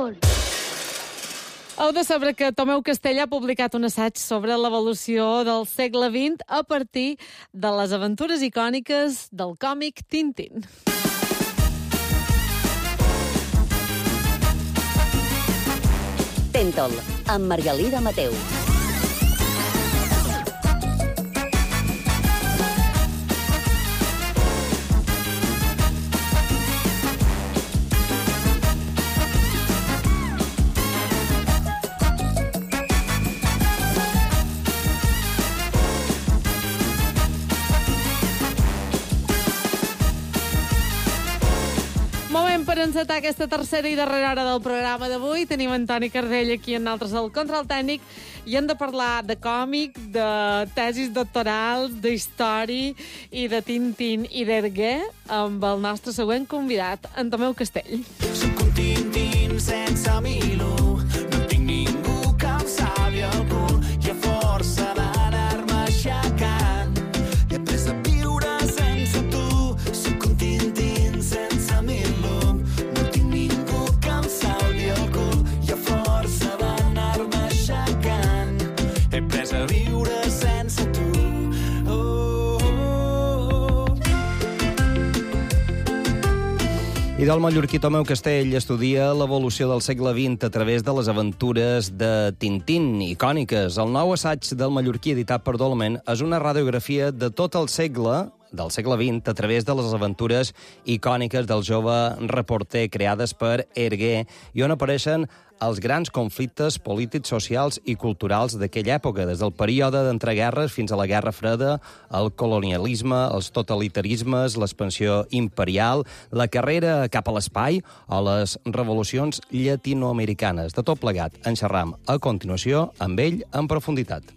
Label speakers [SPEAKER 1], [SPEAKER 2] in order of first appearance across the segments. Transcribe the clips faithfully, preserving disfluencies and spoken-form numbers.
[SPEAKER 1] Títol!
[SPEAKER 2] Heu de saber que Tomeu Castell ha publicat un assaig sobre l'evolució del segle vint a partir de les aventures icòniques del còmic Tintín.
[SPEAKER 3] Títol, amb Margalida Mateu.
[SPEAKER 2] Moment per encetar aquesta tercera i darrera hora del programa d'avui. Tenim Antoni Cardell aquí en altres al control tècnic i hem de parlar de còmic, de tesis doctorals, d'història i de Tintín i d'Hergé amb el nostre següent convidat, en Tomeu Castell.
[SPEAKER 4] Soc un Tintín sense milo, no tinc ningú que em salvi el cul i a força d'anar-me aixecant he après a viure sense tu. Soc un Tintín sense milo, no tinc ningú que em salvi el cul i a força d'anar-me aixecant he après a viure sense tu. Oh, oh, oh.
[SPEAKER 5] I del mallorquí Tomeu Castell estudia l'evolució del segle vint a través de les aventures de Tintín, icòniques. El nou assaig del mallorquí editat per Dolmen és una radiografia de tot el segle del segle vint a través de les aventures icòniques del jove reporter creades per Hergé i on apareixen els grans conflictes polítics, socials i culturals d'aquella època, des del període d'entreguerres fins a la Guerra Freda, el colonialisme, els totalitarismes, l'expansió imperial, la carrera cap a l'espai o les revolucions llatinoamericanes. De tot plegat, en xerram a continuació amb ell en profunditat.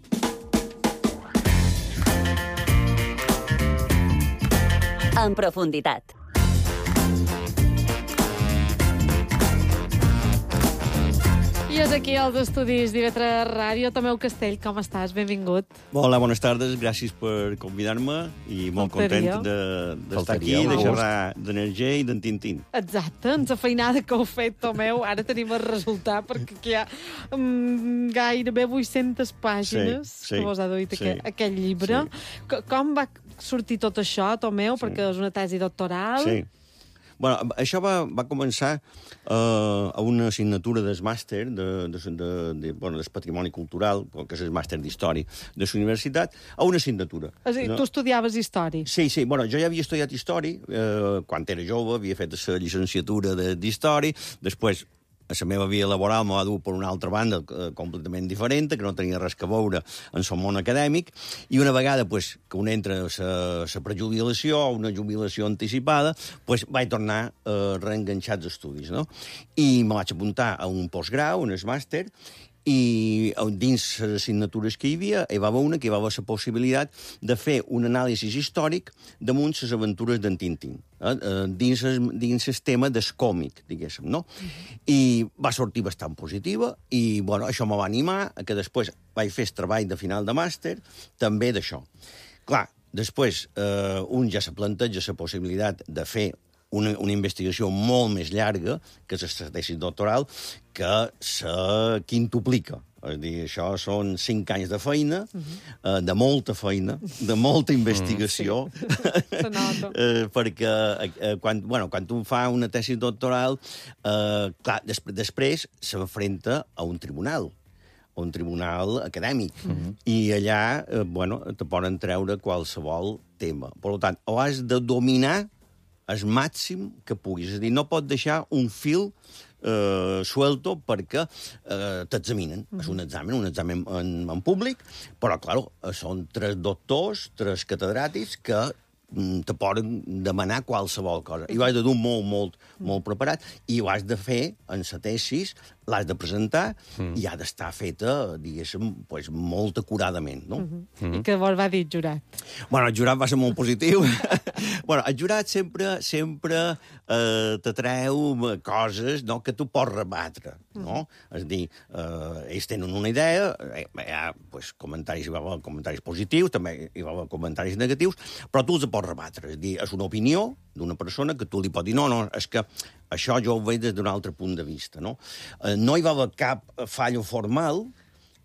[SPEAKER 3] En profunditat.
[SPEAKER 2] I és aquí als estudis d'I V tres Ràdio. Tomeu Castell, com estàs? Benvingut.
[SPEAKER 6] Hola, bones tardes, gràcies per convidar-me i molt
[SPEAKER 2] Faltaria.
[SPEAKER 6] content de- d'estar
[SPEAKER 5] Faltaria,
[SPEAKER 6] aquí, de
[SPEAKER 5] un
[SPEAKER 6] xerrar d'Energia i d'en Tintín.
[SPEAKER 2] Exacte, ens ha feinada que heu fet, Tomeu. Ara tenim el resultat, perquè aquí hi ha um, gairebé vuit-centes pàgines
[SPEAKER 6] Sí, sí,
[SPEAKER 2] que vos ha duit
[SPEAKER 6] sí,
[SPEAKER 2] aquest, aquest llibre.
[SPEAKER 6] sí.
[SPEAKER 2] C Com va sortir tot això, Tomeu?
[SPEAKER 6] Sí.
[SPEAKER 2] Perquè és una tesi doctoral.
[SPEAKER 6] Sí. Bueno, això va, va començar uh, a una assignatura del màster de, de, de, de, bueno, del patrimoni cultural, que és el màster d'història de la universitat, a una assignatura.
[SPEAKER 2] És a dir,
[SPEAKER 6] no?
[SPEAKER 2] tu estudiaves història.
[SPEAKER 6] Sí, sí, bueno, jo ja havia estudiat història, eh, quan era jove, havia fet la llicenciatura de- d'història, després a la meva vida laboral m'ho va dur per una altra banda eh, completament diferent, que no tenia res a veure en el món acadèmic, i una vegada pues, que un entra a la prejubilació o una jubilació anticipada, pues, vaig tornar a reenganxar els estudis, no? I me vaig apuntar a un postgrau, un màster, i dins les assignatures que hi havia hi va haver una que hi va haver la possibilitat de fer un anàlisi històric damunt les aventures d'en Tintín, eh? dins, el, dins el tema del còmic, diguéssim, no? Uh-huh. I va sortir bastant positiva i, bueno, això me va animar a que després vaig fer el treball de final de màster també d'això. Clar, després eh, un ja se planteja la possibilitat de fer Una, una investigació molt més llarga, que és la tesi doctoral, que se quintuplica. És a dir, això són cinc anys de feina, uh-huh. eh, de molta feina, de molta investigació,
[SPEAKER 2] Sí. Se nota.
[SPEAKER 6] eh, perquè eh, quan, bueno, quan un fa una tesi doctoral, eh, clar, des, després s'enfrenta a un tribunal, a un tribunal acadèmic, uh-huh. i allà, eh, bueno, te poden treure qualsevol tema. Per tant, o has de dominar el màxim que puguis. És a dir, no pot deixar un fil eh, suelto perquè eh, t'examinen. Mm-hmm. És un examen, un examen en, en públic, però, clar, són tres doctors, tres catedràtics que te poden demanar qualsevol cosa. I ho has de dur molt, molt, molt preparat i ho has de fer en la tesis, l'has de presentar mm. i ha d'estar feta, diguéssim, pues, molt acuradament, no?
[SPEAKER 2] Mm-hmm. Mm-hmm. I què vos va dir el jurat?
[SPEAKER 6] Bueno, el jurat va ser molt positiu. bueno, el jurat sempre sempre eh, t'atreu coses, no?, que tu pots rebatre, no? Mm. És a dir, eh, ells tenen una idea, eh, hi ha pues, comentaris, hi va haver comentaris positius, també hi va haver comentaris negatius, però tu els pots rebatre. És a dir, és una opinió d'una persona que tu li pots dir, no, no, és que això jo ho veig des d'un altre punt de vista, no? Eh, no hi va haver cap fallo formal,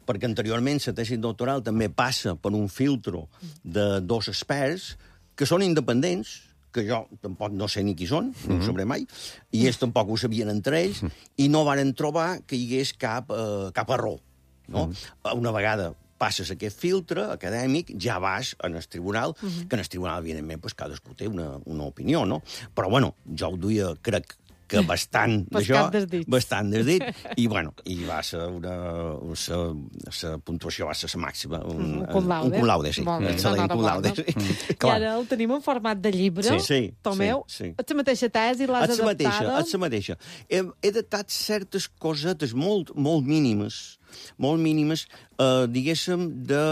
[SPEAKER 6] perquè anteriorment la tesi doctoral també passa per un filtro de dos experts que són independents, que jo tampoc no sé ni qui són, no ho sabré mai, i ells tampoc ho sabien entre ells, i no varen trobar que hi hagués cap, eh, cap error. No? Una vegada passes aquest filtre acadèmic, ja vas en el tribunal, que en el tribunal, evidentment, pues, cadascú té una, una opinió, no? Però, bueno, jo ho duia, crec, que bastant d'això, bastant des dit, i, bueno, i va ser una... La puntuació va ser la màxima. Un,
[SPEAKER 2] un cum laude.
[SPEAKER 6] Un cum laude, sí.
[SPEAKER 2] Bon,
[SPEAKER 6] excel·lent cum laude. Sí.
[SPEAKER 2] I ara el tenim en format de llibre.
[SPEAKER 6] Sí, sí.
[SPEAKER 2] Tomeu,
[SPEAKER 6] sí, sí.
[SPEAKER 2] ets la mateixa tesi, l'has
[SPEAKER 6] ets la
[SPEAKER 2] adaptada?
[SPEAKER 6] Mateixa, ets la mateixa. He, he adaptat certes cosetes molt, molt mínimes, molt mínimes, eh, diguéssim, de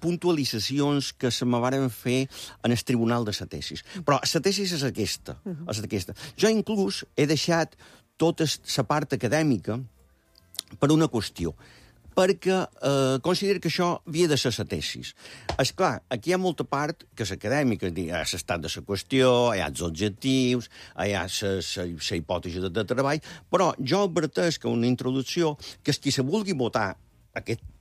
[SPEAKER 6] puntualitzacions que se me varen fer en el tribunal de la tesis. Però la tesis és aquesta, uh-huh. és aquesta. Jo inclús he deixat tota la part acadèmica per una qüestió, perquè eh, considero que això havia de ser la tesis. Esclar, aquí hi ha molta part que és acadèmica, hi ha l'estat de la qüestió, hi ha els objectius, hi ha la hipòtesi de, de treball, però jo adverteix que una introducció, que qui se vulgui votar aquesta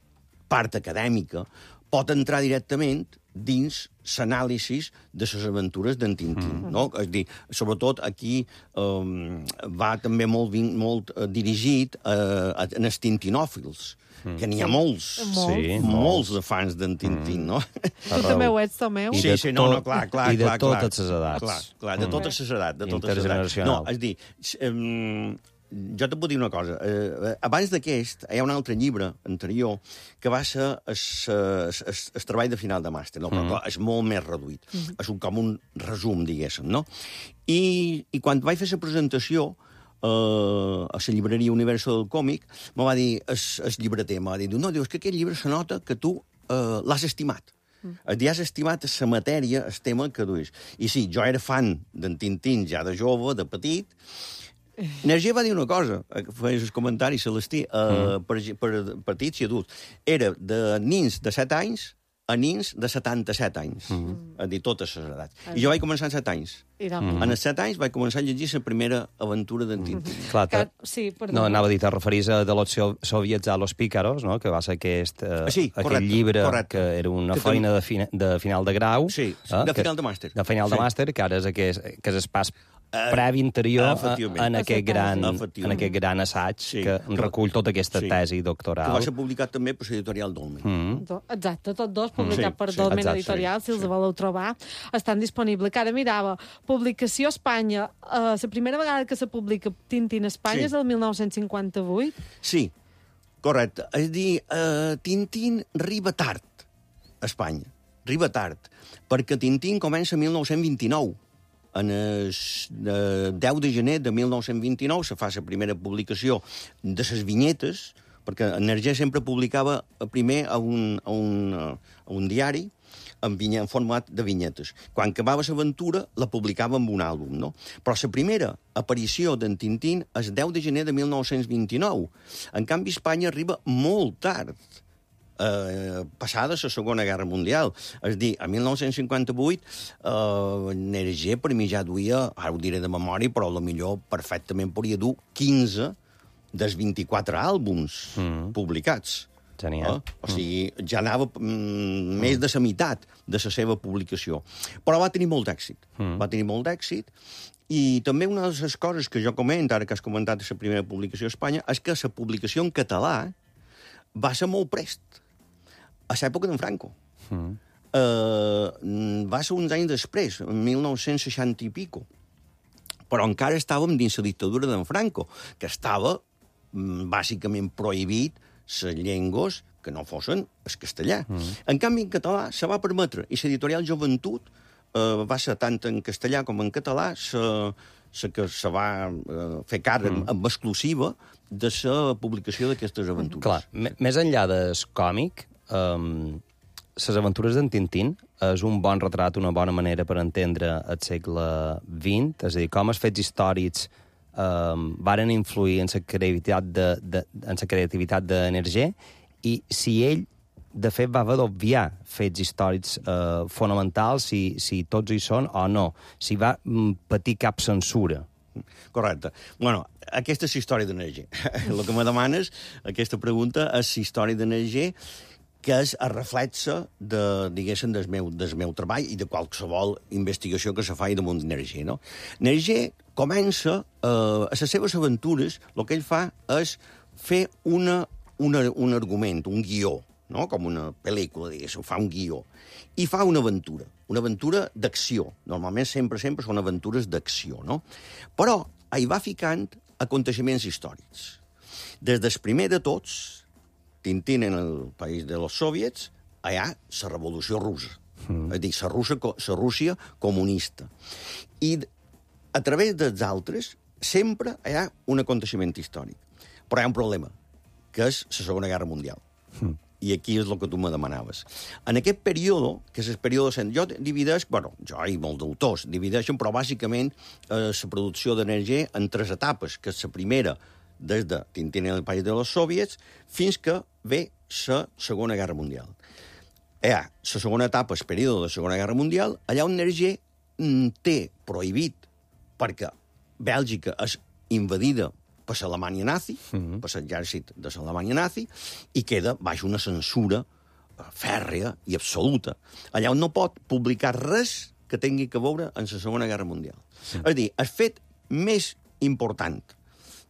[SPEAKER 6] part acadèmica, pot entrar directament dins l'anàlisi de les aventures d'en Tintín. Mm. No? És a dir, sobretot aquí um, va també molt, molt uh, dirigit uh, en els tintinòfils, mm. que n'hi ha molts,
[SPEAKER 2] sí,
[SPEAKER 6] molts de fans d'en Tintín, mm. no?
[SPEAKER 2] Tu també ho ets, Tomeu?
[SPEAKER 6] Sí, sí, no, no, clar, clar.
[SPEAKER 5] I de
[SPEAKER 6] clar,
[SPEAKER 5] totes les edats.
[SPEAKER 6] Clar, clar, de totes les edats. De totes les edats. No, és a dir, um, jo te puc dir una cosa. Eh, abans d'aquest, hi ha un altre llibre anterior que va ser el treball de final de màster, no? Però mm. clar, és molt més reduït. Mm. És un, com un resum, diguéssim, no? I, i quan vaig fer la presentació eh, a la llibreria Universo del Còmic, me va dir el llibreter, me va dir, no, dius que aquest llibre se nota que tu eh, l'has estimat. Mm. Et has estimat la matèria, el tema que duis. I sí, jo era fan d'en Tintín ja de jove, de petit. Energia va dir una cosa, feies el comentari, Celestí, uh, mm. per, per petits i adults. Era de nins de set anys a nins de setanta-set anys, mm. a dir, totes les edats. I jo vaig començar amb set anys. Mm. En els set anys vaig començar a llegir la primera aventura d'en Tintín. Mm.
[SPEAKER 5] Clar,
[SPEAKER 2] que, sí,
[SPEAKER 5] no, anava a dir, te referís a de los soviets a los pícaros, no? Que va ser aquest, uh,
[SPEAKER 6] sí,
[SPEAKER 5] aquell
[SPEAKER 6] correcte,
[SPEAKER 5] llibre
[SPEAKER 6] correcte.
[SPEAKER 5] Que era una
[SPEAKER 6] que
[SPEAKER 5] feina de, fina, de final de grau.
[SPEAKER 6] Sí,
[SPEAKER 5] eh?
[SPEAKER 6] de final
[SPEAKER 5] que,
[SPEAKER 6] de màster.
[SPEAKER 5] De final
[SPEAKER 6] sí.
[SPEAKER 5] de màster, que ara és aquest, que és el pas previ interior uh, en, aquest gran, en aquest gran assaig sí. que recull tota aquesta sí. tesi doctoral.
[SPEAKER 6] Que va ser publicat també per l'editorial Dolmen.
[SPEAKER 2] Mm. Exacte, tots dos publicat
[SPEAKER 6] sí,
[SPEAKER 2] per
[SPEAKER 6] sí,
[SPEAKER 2] Dolmen
[SPEAKER 6] exacte,
[SPEAKER 2] Editorial,
[SPEAKER 6] sí,
[SPEAKER 2] si els
[SPEAKER 6] sí.
[SPEAKER 2] voleu trobar, estan disponibles. Que ara mirava, publicació a Espanya, uh, la primera vegada que se publica Tintín a Espanya sí. és el mil nou-cents cinquanta-vuit?
[SPEAKER 6] Sí, correcte. És a dir, uh, Tintín arriba tard a Espanya, arriba tard, perquè Tintín comença el mil nou-cents vint-i-nou. En el deu de gener de mil nou-cents vint-i-nou se fa la primera publicació de les vinyetes, perquè Energia sempre publicava primer a un, a un, a un diari en, vinya, en format de vinyetes. Quan acabava l'aventura, la publicava en un àlbum, no? Però la primera aparició d'en Tintín és el deu de gener de mil nou-cents vint-i-nou. En canvi, Espanya arriba molt tard, Eh, passada la Segona Guerra Mundial. És a dir, a mil nou-cents cinquanta-vuit eh, Energia per mi ja duia, ara ho diré de memòria, però potser perfectament podria dur quinze dels vint-i-quatre àlbums mm. publicats.
[SPEAKER 5] Genial.
[SPEAKER 6] Eh? O sigui, ja anava mm, més de la meitat de la seva publicació. Però va tenir molt d'èxit. Mm. Va tenir molt d'èxit. I també una de les coses que jo comento, ara que has comentat la primera publicació a Espanya, és que la publicació en català va ser molt prest. A l'època d'en Franco. Mm. Uh, va ser uns anys després, en mil nou-cents seixanta i pico. Però encara estàvem dins la dictadura d'en Franco, que estava mm, bàsicament prohibit les llengües que no fossin el castellà. Mm. En canvi, en català se va permetre, i l'editorial Joventut uh, va ser tant en castellà com en català la que se va uh, fer càrrec mm. amb exclusiva de la publicació d'aquestes aventures.
[SPEAKER 5] Clar, més enllà del còmic, Um, les aventures d'en Tintín és un bon retrat, una bona manera per entendre el segle vint, és a dir, com els fets històrics eh, varen influir en la creativitat de, de, en la creativitat d'Energé, i si ell, de fet, va haver d'obviar fets històrics eh, fonamentals, si, si tots hi són o no, si va patir cap censura.
[SPEAKER 6] Correcte. Bueno, aquesta és la història d'Energé. El que me demanes, aquesta pregunta, és la història d'Energé, que és el reflexe de, diguéssim, del meu, del meu treball i de qualsevol investigació que se faci damunt d'Energé, no? Energé comença, eh, a les seves aventures, el que ell fa és fer una, una, un argument, un guió, no? Com una pel·lícula, diguéssim, fa un guió, i fa una aventura, una aventura d'acció. Normalment, sempre, sempre són aventures d'acció, no? Però hi va ficant aconteixements històrics. Des del primer de tots, Tintín en el país de los soviets, allà la revolució russa. Mm. És a dir, la Rússia, la Rússia comunista. I a través dels altres, sempre hi ha un aconteixement històric. Però hi ha un problema, que és la Segona Guerra Mundial. Mm. I aquí és el que tu me demanaves. En aquest període, que és el període... Jo divideix, bueno, jo i molts d'autors divideixen, però bàsicament eh, la producció d'Energé en tres etapes, que és la primera, des de Tintín en el país de los soviets, fins que ve la Segona Guerra Mundial. Hi ha la segona etapa, el període de la Segona Guerra Mundial, allà on Energé té prohibit, perquè Bèlgica és invadida per l'Alemanya nazi, mm-hmm. per l'exèrcit de l'Alemanya nazi, i queda baix una censura fèrrea i absoluta. Allà on no pot publicar res que tingui que veure en la Segona Guerra Mundial. Mm. És a dir, el fet més important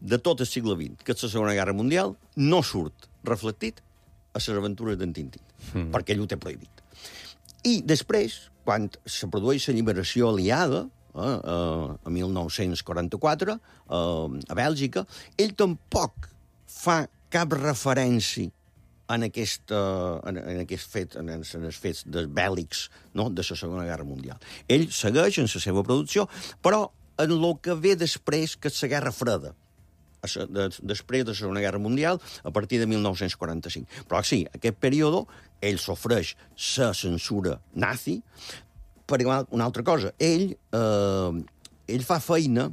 [SPEAKER 6] de tot el segle vint, que és la Segona Guerra Mundial, no surt reflectit a les aventures d'en Tintín, mm. perquè ell ho té prohibit. I després, quan se produeix la lliberació aliada, eh, eh, a mil nou-cents quaranta-quatre, eh, a Bèlgica, ell tampoc fa cap referència en, aquesta, en, en aquest fet, en, en els fets bèl·lics, no?, de la Segona Guerra Mundial. Ell segueix en la seva producció, però en el que ve després, que és la Guerra Freda, després de la Segona Guerra Mundial, a partir de mil nou-cents quaranta-cinc. Però sí, aquest període, ell sofreix la censura nazi, per una altra cosa. Ell, eh, ell fa feina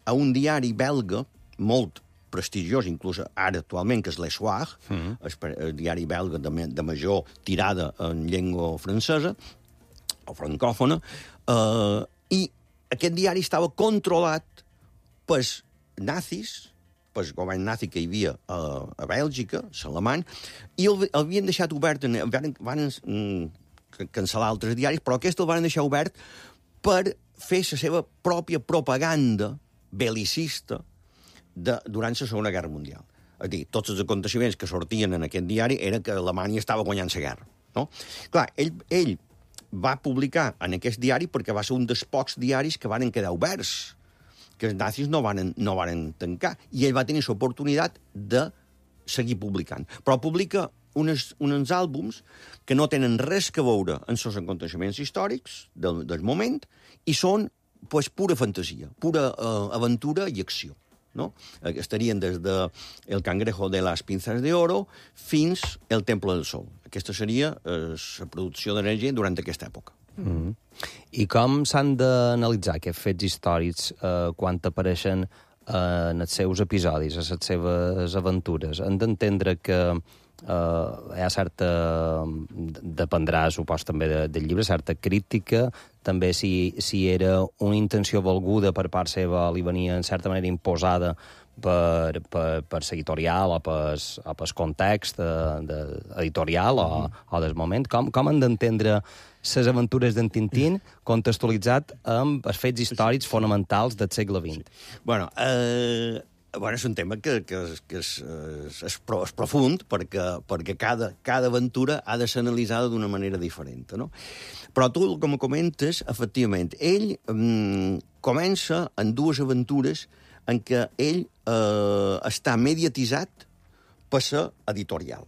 [SPEAKER 6] a un diari belga molt prestigiós, inclús ara actualment, que és Le Soir, mm-hmm. el, el diari belga de, de major tirada en llengua francesa, o francòfona, eh, i aquest diari estava controlat pels nazis, pel govern nazi que hi havia a, a Bèlgica, l'alemany, i el, el havien deixat obert, en, van, van mm, cancel·lar altres diaris, però aquest el van deixar obert per fer la seva pròpia propaganda belicista de, durant la Segona Guerra Mundial. És a dir, tots els aconteixements que sortien en aquest diari era que Alemanya estava guanyant la guerra. No? Clar, ell, ell va publicar en aquest diari perquè va ser un dels pocs diaris que van quedar oberts, que els nazis no van, no van tancar, i ell va tenir l'oportunitat de seguir publicant. Però publica unes, uns àlbums que no tenen res que veure amb els aconteixements històrics del, del moment i són pues, pura fantasia, pura uh, aventura i acció. No? Estarien des de El cangrejo de las pinzas de oro fins El temple del sol. Aquesta seria eh, la producció d'Energé durant aquesta època.
[SPEAKER 5] Mm-hmm. I com s'han d'analitzar aquests fets històrics eh, quan apareixen eh, en els seus episodis, a les seves aventures? Hem d'entendre que eh, hi ha certa... dependrà, supos, també de, del llibre, certa crítica, també si, si era una intenció volguda per part seva, li venia en certa manera imposada per, per, per l'editorial o per, o per context de, de, editorial o, o del moment. Com, com han d'entendre les aventures d'en Tintín contextualitzat amb els fets històrics fonamentals del segle vint?
[SPEAKER 6] Sí. Bueno, eh, bueno, és un tema que, que, és, que és, és, és, pro, és profund, perquè, perquè cada, cada aventura ha de ser analitzada d'una manera diferent, no? Però tu, com comentes, efectivament, ell mm, comença en dues aventures en què ell eh, està mediatitzat per ser editorial.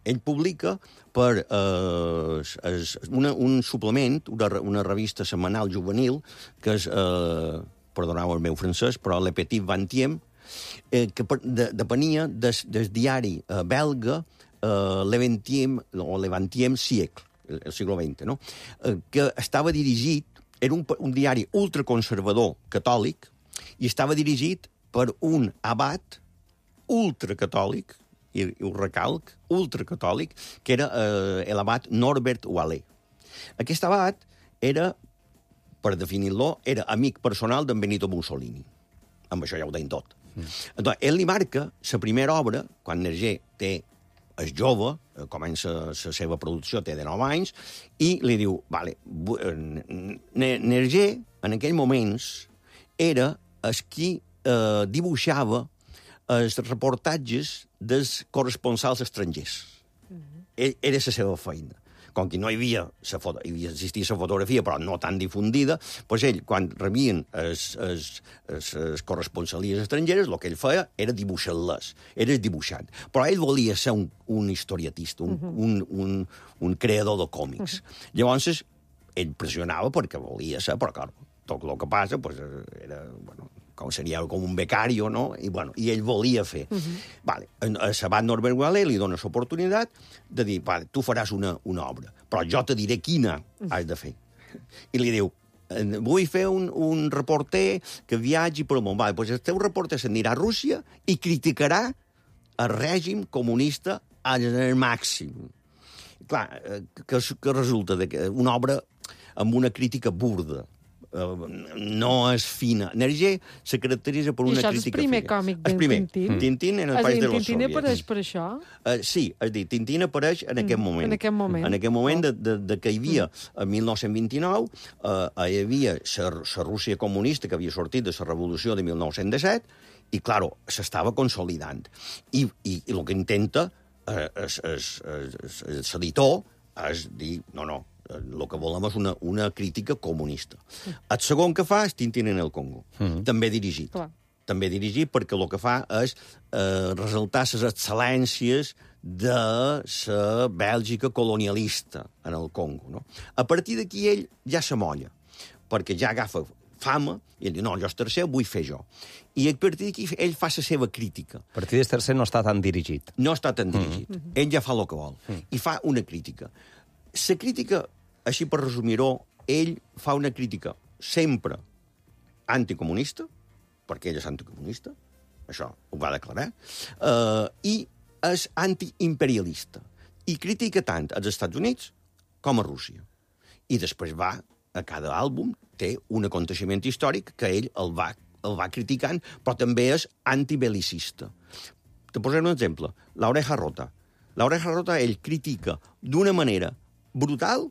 [SPEAKER 6] Ell publica per eh, es, una, un suplement, una, una revista setmanal juvenil, que és, eh, perdoneu el meu francès, però Le Petit Vingtième, eh, que de, depenia des, del diari eh, belga eh, Le Vingtième o Le Vingtième siècle. el, el segle veinte, no? Eh, que estava dirigit, era un, un diari ultraconservador catòlic, i estava dirigit per un abat ultracatòlic, i, i ho recalc, ultracatòlic, que era eh, l'abat Norbert Wallet. Aquest abat era, per definir-lo, era amic personal d'en Benito Mussolini. Amb això ja ho deien tot. Mm. Doncs, ell li marca la primera obra, quan Nerger té, és jove, comença la seva producció, té de nou anys, i li diu, vale, Nerger, en aquells moments, era el qui eh, dibuixava els reportatges dels corresponsals estrangers. Mm-hmm. Era la seva feina. Com que no hi havia, la foto, hi havia existia la fotografia, però no tan difundida, doncs ell, quan rebien les corresponsalies estrangeres, el que ell feia era dibuixar-les, era dibuixant. Però ell volia ser un, un historiatista, un, uh-huh. un, un, un creador de còmics. Uh-huh. Llavors, ell pressionava perquè volia ser, però, clar, tot el que passa pues, era, bueno, com seria com un becario, no? I, bueno, i ell volia fer. Uh-huh. Vale, a Sabat Norbert Wallet li dona l'oportunitat de dir, vale, tu faràs una, una obra, però jo te diré quina has de fer. I li diu, vull fer un, un reporter que viatgi per el món. Vale, doncs el teu reporter s'anirà a Rússia i criticarà el règim comunista al màxim. Clar, que, que resulta de que una obra amb una crítica burda, Uh, no és fina. Nerger se caracteritza per una crítica fina. I això és el primer
[SPEAKER 2] fina. Còmic d'en
[SPEAKER 6] Tintín? Tintín en el País de los Soviets.
[SPEAKER 2] Tintín apareix per això?
[SPEAKER 6] Uh, sí, és dir, Tintín apareix en aquest moment.
[SPEAKER 2] En aquest moment.
[SPEAKER 6] En aquest moment de, de, de que hi havia, en mil nou-cents vint-i-nou, uh, hi havia la Rússia comunista que havia sortit de la revolució de mil nou-cents disset, i, claro, s'estava consolidant. I, i, i el que intenta l'editor és dir, no, no, el que volem és una, una crítica comunista. El segon que fa és Tintín en el Congo, mm-hmm. també dirigit. Clar. També dirigit perquè el que fa és eh, resaltar les excel·lències de la Bèlgica colonialista en el Congo. No? A partir d'aquí ell ja s'amolla, perquè ja agafa fama, i ell diu, no, jo és tercer, vull fer jo. I a partir d'aquí ell fa la seva crítica.
[SPEAKER 5] A partir del tercer no està tan dirigit.
[SPEAKER 6] No està tan dirigit. Mm-hmm. Ell ja fa el que vol. Mm. I fa una crítica. La crítica, així per resumir-ho, ell fa una crítica sempre anticomunista, perquè ell és anticomunista, això ho va declarar, eh, i és antiimperialista. I critica tant als Estats Units com a Rússia. I després va, a cada àlbum, té un aconteixement històric que ell el va, el va criticant, però també és antibelicista. Te posaré un exemple. L'Oreja Rota. L'Oreja Rota ell critica d'una manera brutal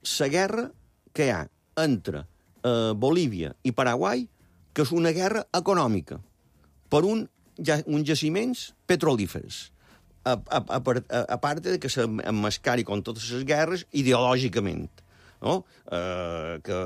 [SPEAKER 6] la guerra que hi ha entre eh, Bolívia i Paraguai, que és una guerra econòmica, per un, ja, uns jaciments petrolífers. A, a, a, a, a part de que s'emmascari com totes les guerres ideològicament. No? Eh, que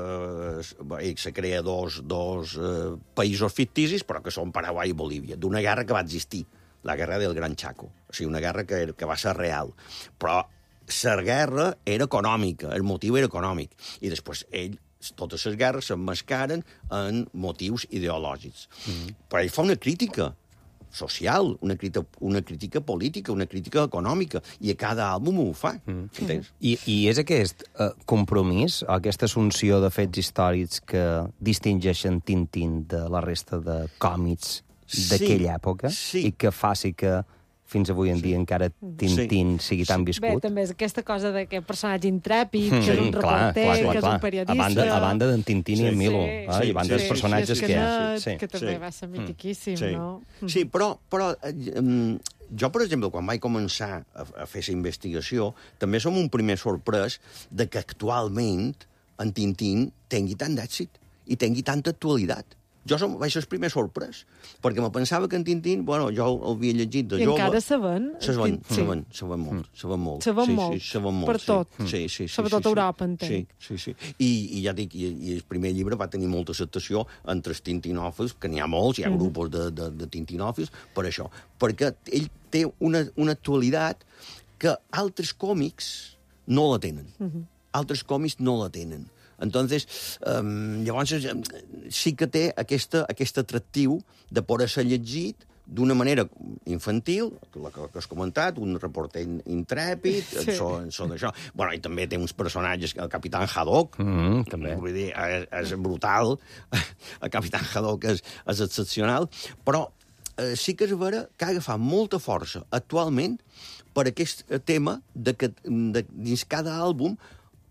[SPEAKER 6] bé, se crea dos, dos eh, països ficticis, però que són Paraguai i Bolívia, d'una guerra que va existir, la guerra del Gran Chaco. O sigui, una guerra que, que va ser real. Però la guerra era econòmica, el motiu era econòmic. I després ell, totes les guerres s'emmascaren en motius ideològics. Mm-hmm. Però ell fa una crítica social, una crítica, una crítica política, una crítica econòmica, i a cada àlbum ho fa. Mm-hmm. Entens?
[SPEAKER 5] I, I és aquest uh, compromís, aquesta assumpció de fets històrics que distingeixen Tintín de la resta de còmics d'aquella sí, època
[SPEAKER 6] sí.
[SPEAKER 5] i que faci que fins avui en dia sí. encara Tintín sí. sigui tan viscut.
[SPEAKER 2] Bé, també és aquesta cosa d'aquest personatge intrèpid, mm. que és un reporter, clar, clar, clar, que és un periodista...
[SPEAKER 5] A banda, a banda d'en Tintín sí, i en Milo, sí, eh? I a banda sí, dels personatges
[SPEAKER 2] sí,
[SPEAKER 5] que hi ha.
[SPEAKER 2] Sí, que també sí. va ser mitiquíssim,
[SPEAKER 6] sí.
[SPEAKER 2] no?
[SPEAKER 6] Sí, però, però um, jo, per exemple, quan vaig començar a, a fer la investigació, també som un primer sorprès de que actualment en Tintín tingui tant d'èxit i tingui tanta actualitat. Jo som, vaig ser el primer sorprès, perquè me pensava que en Tintín, bueno, jo el havia llegit de
[SPEAKER 2] I
[SPEAKER 6] jove...
[SPEAKER 2] I encara saben?
[SPEAKER 6] Saben, saben, saben molt, saben molt.
[SPEAKER 2] Saben
[SPEAKER 6] sí,
[SPEAKER 2] molt,
[SPEAKER 6] sí, saben molt,
[SPEAKER 2] per
[SPEAKER 6] sí.
[SPEAKER 2] tot.
[SPEAKER 6] Sí, sí, sí,
[SPEAKER 2] Sobretot
[SPEAKER 6] sí, sí,
[SPEAKER 2] Europa, entenc.
[SPEAKER 6] Sí, sí, sí. I, i ja dic, i, i el primer llibre va tenir molta acceptació entre els tintinòfils, que n'hi ha molts, hi ha mm. grupos de, de, de tintinòfils, per això. Perquè ell té una, una actualitat que altres còmics no la tenen. Mm-hmm. Altres còmics no la tenen. Entonces, um, llavors sí que té aquesta, aquest atractiu de poder ser llegit d'una manera infantil, la que, que has comentat, un reporter intrèpid, sí. en so, en so d'això. Bueno, i també té uns personatges, el Capitán Haddock,
[SPEAKER 5] Mm, també.
[SPEAKER 6] vull dir, és, és brutal, el Capitán Haddock és, és excepcional, però eh, sí que és vera que ha agafat molta força actualment per aquest tema de que de, dins cada àlbum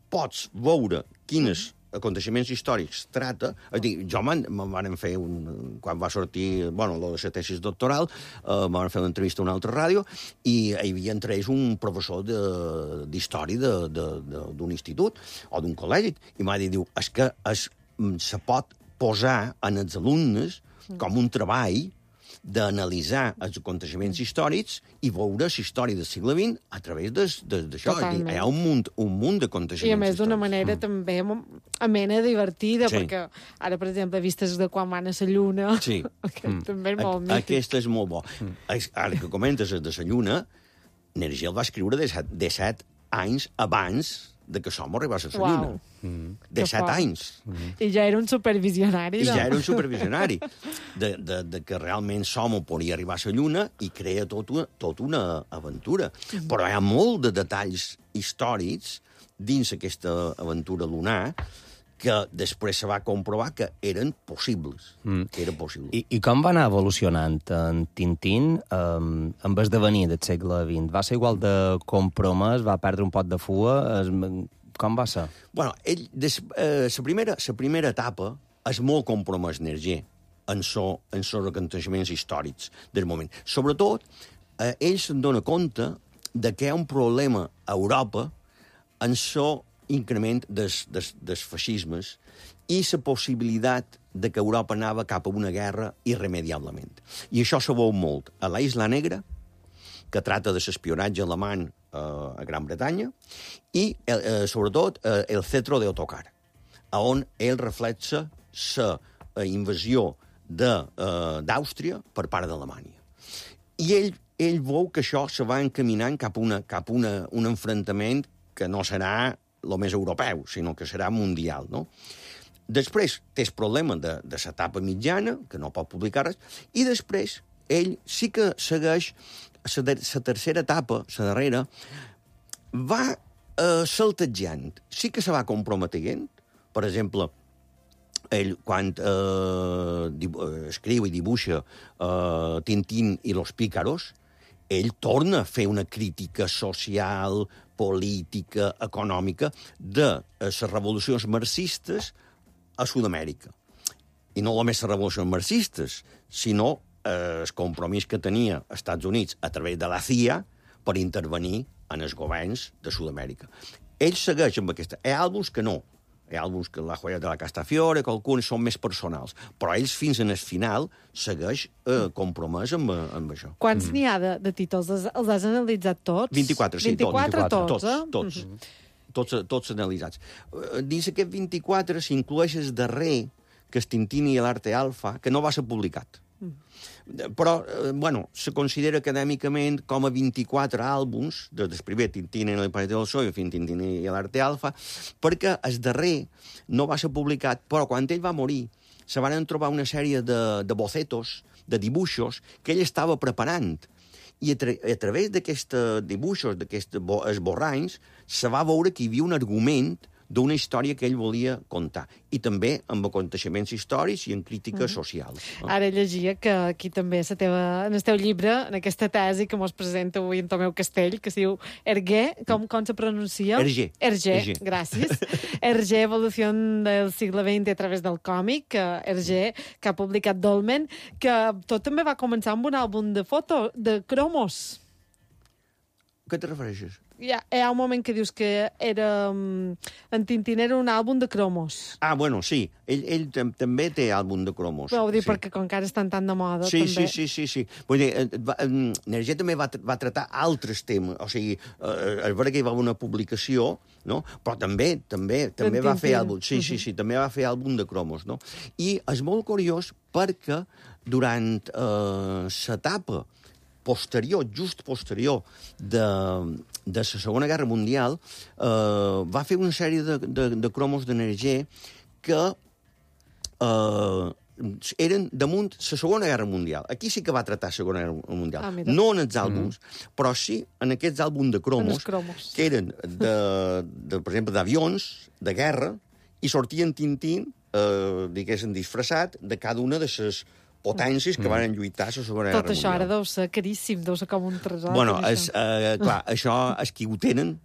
[SPEAKER 6] pots veure quines aconteixements històrics trata. És dir, jo me'n van fer un... Quan va sortir, bueno, la de tesis doctoral, eh, van fer una entrevista a una altra ràdio i hi havia entre ells un professor d'història d'un institut o d'un col·legi, i m'ha dit, diu, és que es, se pot posar en els alumnes com un treball d'analitzar els aconteixements històrics i veure la història del segle vint a través d'això. Hi ha un munt, un munt d'aconteixements
[SPEAKER 2] I a més d'una
[SPEAKER 6] històrics.
[SPEAKER 2] manera mm. també amena, divertida,
[SPEAKER 6] Sí.
[SPEAKER 2] perquè ara, per exemple, vistes de quan van a la Lluna,
[SPEAKER 6] Sí.
[SPEAKER 2] que
[SPEAKER 6] Mm.
[SPEAKER 2] també és molt
[SPEAKER 6] A-
[SPEAKER 2] mític.
[SPEAKER 6] Aquest és molt bo. Mm. Ara que comentes el de la Lluna, Nergel va escriure de set, de set anys abans de que som arribés a la
[SPEAKER 2] Uau.
[SPEAKER 6] Lluna. Mm. De
[SPEAKER 2] Que
[SPEAKER 6] set
[SPEAKER 2] fort.
[SPEAKER 6] anys.
[SPEAKER 2] I ja era un supervisionari.
[SPEAKER 6] I
[SPEAKER 2] no?
[SPEAKER 6] ja era un supervisionari de, de, de que realment Somo podia arribar a la Lluna i crea tot una, tot una aventura. Però hi ha molt de detalls històrics dins aquesta aventura lunar que després se va comprovar que eren possibles. Mm. Que era possible.
[SPEAKER 5] I, I com va anar evolucionant en Tintín um, amb esdevenir del segle vint? Va ser igual de compromès? Va perdre un pot de fua? Es, com va ser?
[SPEAKER 6] Bueno, ell, des, eh, la, primera, la primera etapa és molt compromès Nerger en so, en so aconteixements històrics del moment. Sobretot, eh, ell se'n dona compte de que hi ha un problema a Europa en so increment dels, des, des feixismes i la possibilitat de que Europa anava cap a una guerra irremediablement. I això se veu molt a la Isla Negra, que trata de l'espionatge alemany eh, a Gran Bretanya, i, eh, sobretot, eh, el cetro d'Ottokar, on ell reflexa la eh, invasió d'Àustria eh, per part d'Alemanya. I ell, ell veu que això se va encaminant cap a, una, cap a una, un enfrontament que no serà el més europeu, sinó que serà mundial, no? Després té el problema de, de l'etapa mitjana, que no pot publicar res, i després ell sí que segueix la tercera etapa, la darrera, va eh, saltejant. Sí que se va comprometent. Per exemple, ell, quan eh, escriu i dibuixa eh, Tintín i los pícaros, ell torna a fer una crítica social, política, econòmica de les revolucions marxistes a Sud-amèrica. I no només les revolucions marxistes, sinó eh, el compromís que tenia els Estats Units a través de la C I A per intervenir en els governs de Sud-amèrica. Ell segueix amb aquesta... Hi ha àlbums que no. Hi ha àlbums que La joia de la Castafiore, que alguns són més personals. Però ells, fins en el final, segueix eh, compromès amb, amb això.
[SPEAKER 2] Quants mm. n'hi ha de, de títols? Els, els has analitzat tots?
[SPEAKER 6] vint-i-quatre, sí,
[SPEAKER 2] vint-i-quatre
[SPEAKER 6] tots.
[SPEAKER 2] tots, eh?
[SPEAKER 6] Tots, tots. Mm-hmm. Tots, tots analitzats. Dins aquest vint-i-quatre s'inclueix el darrer, que és Tintín i l'Arte Alfa, que no va ser publicat. Mm. Però, eh, bueno, se considera acadèmicament com a vint-i-quatre àlbums, des del primer Tintín en el planeta del Sol i fins Tintín i l'Arte Alfa, perquè el darrer no va ser publicat, però quan ell va morir se van trobar una sèrie de, de bocetos, de dibuixos, que ell estava preparant. I a, tra a través d'aquests dibuixos, d'aquests esborranys, se va veure que hi havia un argument d'una història que ell volia contar. I també amb aconteixements històrics i en crítica mm. social.
[SPEAKER 2] Ara llegia que aquí també la teva, en el teu llibre, en aquesta tesi que mos presenta avui en Tomeu Castell, que es diu Hergé, com, com se pronuncia?
[SPEAKER 6] Hergé.
[SPEAKER 2] Hergé,
[SPEAKER 6] Hergé.
[SPEAKER 2] gràcies. Hergé, evolució del segle vint a través del còmic, Hergé, que ha publicat Dolmen, que tot també va començar amb un àlbum de foto, de cromos.
[SPEAKER 6] A què te refereixes?
[SPEAKER 2] Hi ha, hi ha un moment que dius que era, en Tintín era un àlbum de cromos.
[SPEAKER 6] Ah, bueno, sí. Ell, ell tam també té àlbum de cromos.
[SPEAKER 2] Però ho dic
[SPEAKER 6] sí.
[SPEAKER 2] perquè com que ara estan tan de moda,
[SPEAKER 6] sí,
[SPEAKER 2] també.
[SPEAKER 6] Sí, sí, sí, sí. Vull dir, Nerger també va, va tratar altres temes. O sigui, eh, és veritat que hi va haver una publicació, no? Però també també també va fer àlbum. Sí, sí, sí, també va fer àlbum de cromos, no? I és molt curiós perquè durant eh, l'etapa posterior, just posterior de, de la Segona Guerra Mundial, eh, va fer una sèrie de, de, de cromos d'Energer que eh, eren damunt la Segona Guerra Mundial. Aquí sí que va tractar la Segona Guerra Mundial.
[SPEAKER 2] Ah, mira.
[SPEAKER 6] No en els àlbums, mm. però sí en aquests àlbums de cromos,
[SPEAKER 2] En els cromos.
[SPEAKER 6] que eren, de, de, per exemple, d'avions, de guerra, i sortien Tintín, eh, diguéssim, disfressat de cada una de les potències que van lluitar a la Segona Guerra
[SPEAKER 2] Tot això ara
[SPEAKER 6] Mundial.
[SPEAKER 2] deu ser caríssim, deu ser com un tresor.
[SPEAKER 6] Bueno,
[SPEAKER 2] tot
[SPEAKER 6] és,
[SPEAKER 2] això.
[SPEAKER 6] eh, clar, això, els qui ho tenen,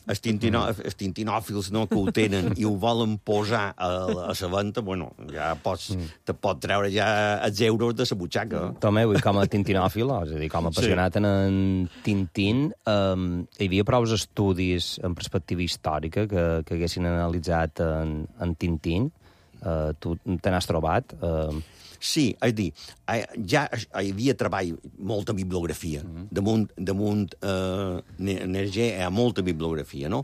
[SPEAKER 6] els, tintino, els tintinòfils no, que ho tenen i ho volen posar a, a la venda, bueno, ja pots, te pot treure ja els euros de la butxaca.
[SPEAKER 5] Tomeu, i com a tintinòfil, és a dir, com a apassionat sí. en, en Tintín, um, hi havia prou estudis en perspectiva històrica que, que haguessin analitzat en, en Tintín? Uh, tu te n'has trobat? Uh...
[SPEAKER 6] Sí, és a dir, ja hi havia treball, molta bibliografia. Mm-hmm. Damunt, damunt eh, Nerger hi ha molta bibliografia, no?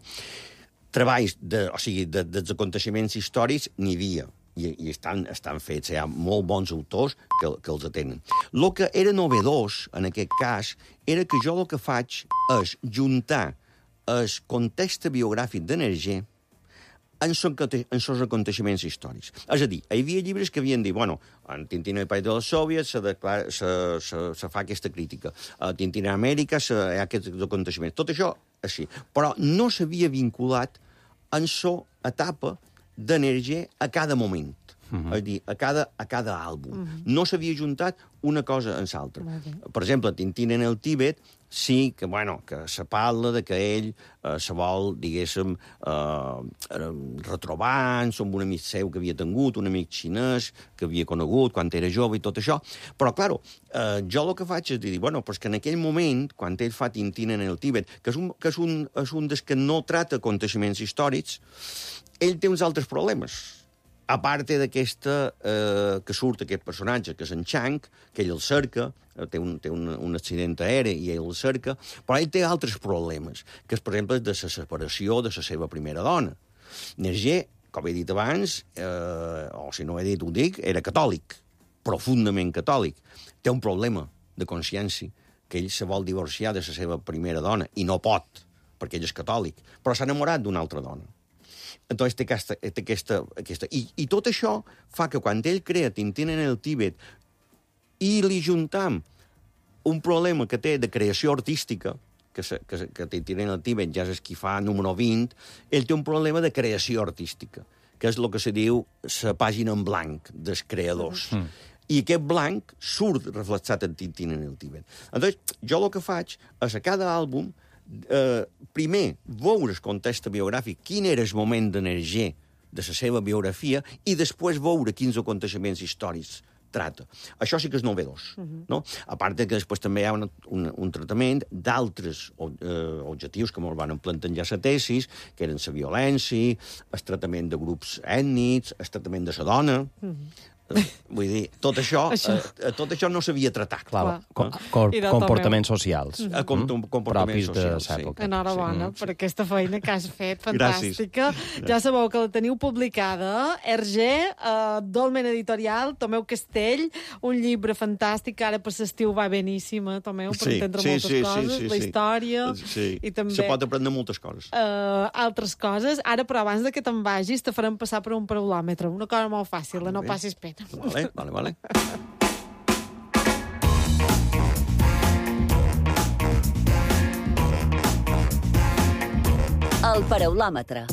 [SPEAKER 6] Treballs, de, o sigui, de, dels aconteixements històrics n'hi havia, i, i estan, estan fets. Hi ha molt bons autors que, que els atenen. El que era novedós, en aquest cas, era que jo el que faig és juntar el context biogràfic de Nerger en els aconteixements històrics. És a dir, hi havia llibres que havien dit, bueno, en Tintín i el País dels Soviets se, declara, se, se, se fa aquesta crítica, a Tintín a Amèrica se, hi ha aquests aconteixements. Tot això, així. Però no s'havia vinculat en la etapa d'Energer a cada moment. Uh-huh. És a dir, a cada, a cada àlbum. Uh-huh. No s'havia juntat una cosa en l'altra. Per exemple, Tintín en el Tíbet sí que, bueno, que se parla de que ell eh, se vol, diguéssim, eh, retrobar amb un amic seu que havia tingut, un amic xinès que havia conegut quan era jove i tot això. Però, clar, eh, jo el que faig és dir, bueno, però és que en aquell moment, quan ell fa Tintín en el Tíbet, que és un, que és un, és un dels que no trata aconteixements històrics, ell té uns altres problemes. A part d'aquesta, eh, que surt aquest personatge, que és en Chang, que ell el cerca, té un, té un, un accident aeri i ell el cerca, però ell té altres problemes, que és, per exemple, de la separació de la seva primera dona. Nerger, com he dit abans, eh, o si no he dit ho dic, era catòlic, profundament catòlic. Té un problema de consciència, que ell se vol divorciar de la seva primera dona, i no pot, perquè ell és catòlic, però s'ha enamorat d'una altra dona. Entonces té aquesta... Té aquesta, aquesta. I, I tot això fa que quan ell crea Tintín en el Tíbet i li juntam un problema que té de creació artística, que, se, que, que Tintín en el Tíbet ja és qui fa número vint, ell té un problema de creació artística, que és el que se diu la pàgina en blanc dels creadors. Mm. I aquest blanc surt reflexat en Tintín en el Tíbet. Entonces, jo el que faig és a cada àlbum Eh, primer, veure el context biogràfic, quin era el moment d'Energer de la seva biografia, i després veure quins aconteixements històrics trata. Això sí que és novedós. Uh-huh. No? A part que després també hi ha un, un, un tractament d'altres eh, objectius que ens van plantejar la tesis, que eren la violència, el tractament de grups ètnics, el tractament de la dona... Uh-huh. Vull dir, tot això, això. Eh, tot això no s'havia tratat.
[SPEAKER 5] Clar, com, com, comportaments socials.
[SPEAKER 6] Mm. Com, comportaments socials,
[SPEAKER 5] sí.
[SPEAKER 2] Enhorabona
[SPEAKER 6] sí.
[SPEAKER 2] per aquesta feina que has fet, fantàstica.
[SPEAKER 6] Gràcies.
[SPEAKER 2] Ja sabeu que la teniu publicada. Hergé, uh, Dolmen Editorial, Tomeu Castell, un llibre fantàstic, que ara per l'estiu va beníssima, Tomeu, per
[SPEAKER 6] sí,
[SPEAKER 2] entendre
[SPEAKER 6] sí,
[SPEAKER 2] moltes
[SPEAKER 6] sí,
[SPEAKER 2] coses,
[SPEAKER 6] sí, sí,
[SPEAKER 2] la història...
[SPEAKER 6] Sí.
[SPEAKER 2] I també...
[SPEAKER 6] Se pot aprendre moltes coses.
[SPEAKER 2] Uh, altres coses. Ara, però abans de que te'n vagis, te farem passar per un paraulòmetre. Una cosa molt fàcil, ah, no bé. Passis pena.
[SPEAKER 6] Vale, vale, vale.
[SPEAKER 3] El paraulòmetre.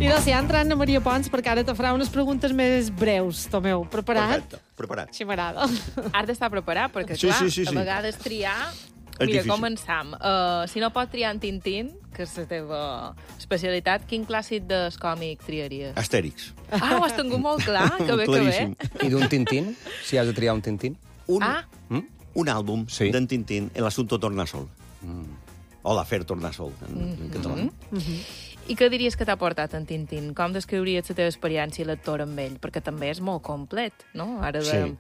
[SPEAKER 2] I doncs ja entrant a Maria Pons, perquè ara te farà unes preguntes més breus, Tomeu. Preparat?
[SPEAKER 6] Perfecte, preparat.
[SPEAKER 2] Sí, m'agrada.
[SPEAKER 1] Has d'estar preparat, perquè,
[SPEAKER 6] sí,
[SPEAKER 1] clar,
[SPEAKER 6] sí, sí, sí.
[SPEAKER 1] a vegades triar...
[SPEAKER 6] És
[SPEAKER 1] Mira,
[SPEAKER 6] difícil.
[SPEAKER 1] començam. Uh, si no pots triar en Tintín, que és la teva especialitat, quin clàssic del còmic triaries?
[SPEAKER 6] Astèrix.
[SPEAKER 1] Ah, ho has tingut molt clar, que bé, que bé.
[SPEAKER 6] Claríssim.
[SPEAKER 5] I d'un Tintín? Si has de triar un Tintín?
[SPEAKER 6] Un,
[SPEAKER 1] Ah.
[SPEAKER 5] Mm?
[SPEAKER 6] un àlbum
[SPEAKER 5] Sí.
[SPEAKER 6] d'en Tintín, El asunto Tornasol. Mm. O l'Afer Tornasol, en, mm -hmm. en català.
[SPEAKER 1] Mm -hmm. I què diries que t'ha portat en Tintín? Com descriuries la teva experiència lectora amb ell? Perquè també és molt complet, no? Ara de...
[SPEAKER 6] Sí.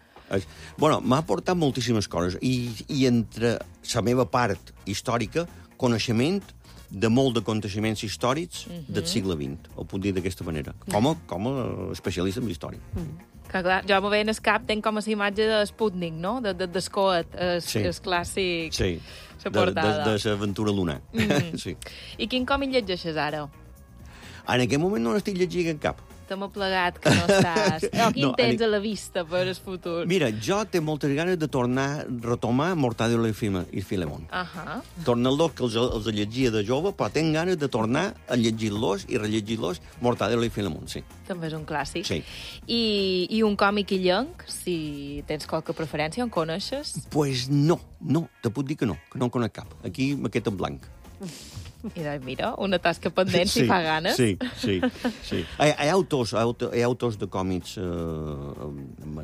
[SPEAKER 6] Bueno, m'ha aportat moltíssimes coses, i, i entre la meva part històrica, coneixement de molt d'aconteixements històrics uh -huh. del segle vint, ho puc dir d'aquesta manera, com a, com a especialista en història. Uh -huh.
[SPEAKER 1] Que clar, jo m'ho en el cap, tenc com a la imatge de Sputnik, no? De, de, d'Escoet, el,
[SPEAKER 6] Sí.
[SPEAKER 1] el clàssic...
[SPEAKER 6] Sí,
[SPEAKER 1] La
[SPEAKER 6] de,
[SPEAKER 1] portada.
[SPEAKER 6] de, de l'aventura lunar. Mm -hmm. Sí.
[SPEAKER 1] I quin còmic llegeixes ara?
[SPEAKER 6] En aquest moment no n'estic llegint cap.
[SPEAKER 1] t'hem aplegat que no estàs... O quin
[SPEAKER 6] No,
[SPEAKER 1] tens
[SPEAKER 6] ani-
[SPEAKER 1] a la vista per el futur?
[SPEAKER 6] Mira, jo té moltes ganes de tornar a retomar Mortadelo i Fima- i Filemón.
[SPEAKER 1] Ahà.
[SPEAKER 6] Tornar-los, que els, els llegia de jove, però tinc ganes de tornar a llegir-los i rellegir-los Mortadelo i Filemón, sí.
[SPEAKER 1] També és un clàssic.
[SPEAKER 6] Sí.
[SPEAKER 1] I, I un còmic illenc, si tens qualque preferència, en coneixes?
[SPEAKER 6] Pues no, no, te puc dir que no, que no en conec cap. Aquí me quedo en blanc.
[SPEAKER 1] I doncs, mira, una tasca pendent, si fa ganes.
[SPEAKER 6] Sí, sí, sí. Hi, hi ha autors, hi ha auto- hi ha autors de còmics eh,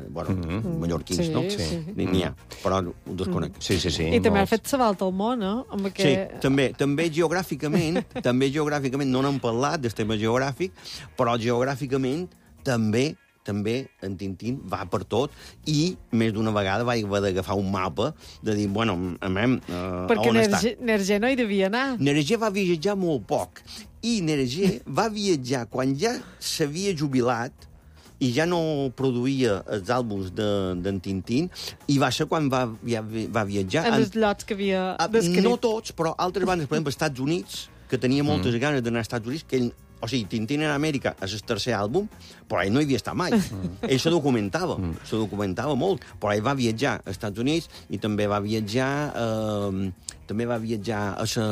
[SPEAKER 6] bueno, mm-hmm. mallorquins,
[SPEAKER 2] Sí,
[SPEAKER 6] no?
[SPEAKER 2] sí.
[SPEAKER 6] N'hi ha, però ho desconec.
[SPEAKER 5] Sí, sí, sí.
[SPEAKER 2] I també ha
[SPEAKER 5] molts.
[SPEAKER 2] fet sa volta al món, eh? Amb
[SPEAKER 6] Sí,
[SPEAKER 2] aquest...
[SPEAKER 6] també, també geogràficament, també geogràficament, no n'hem parlat del tema geogràfic, però geogràficament també també en Tintín va per tot i més d'una vegada va haver d'agafar un mapa de dir, bueno, amem, uh,
[SPEAKER 2] Perquè
[SPEAKER 6] on està?
[SPEAKER 2] Nerger, Nerger no hi devia anar.
[SPEAKER 6] Nerger va viatjar molt poc i Nerger va viatjar quan ja s'havia jubilat i ja no produïa els àlbums d'en de, Tintín i va ser quan va, ja, va viatjar...
[SPEAKER 2] En els llots que havia
[SPEAKER 6] Ah,
[SPEAKER 2] descrit.
[SPEAKER 6] no tots, però altres bandes, per exemple, als Estats Units, que tenia moltes mm. ganes d'anar als Estats Units, que ell, o sigui, Tintín en Amèrica és el tercer àlbum, però ell no hi havia estat mai. Mm. Ell se documentava, mm. se documentava molt, però ell va viatjar als Estats Units i també va viatjar, eh, també va viatjar a, sa,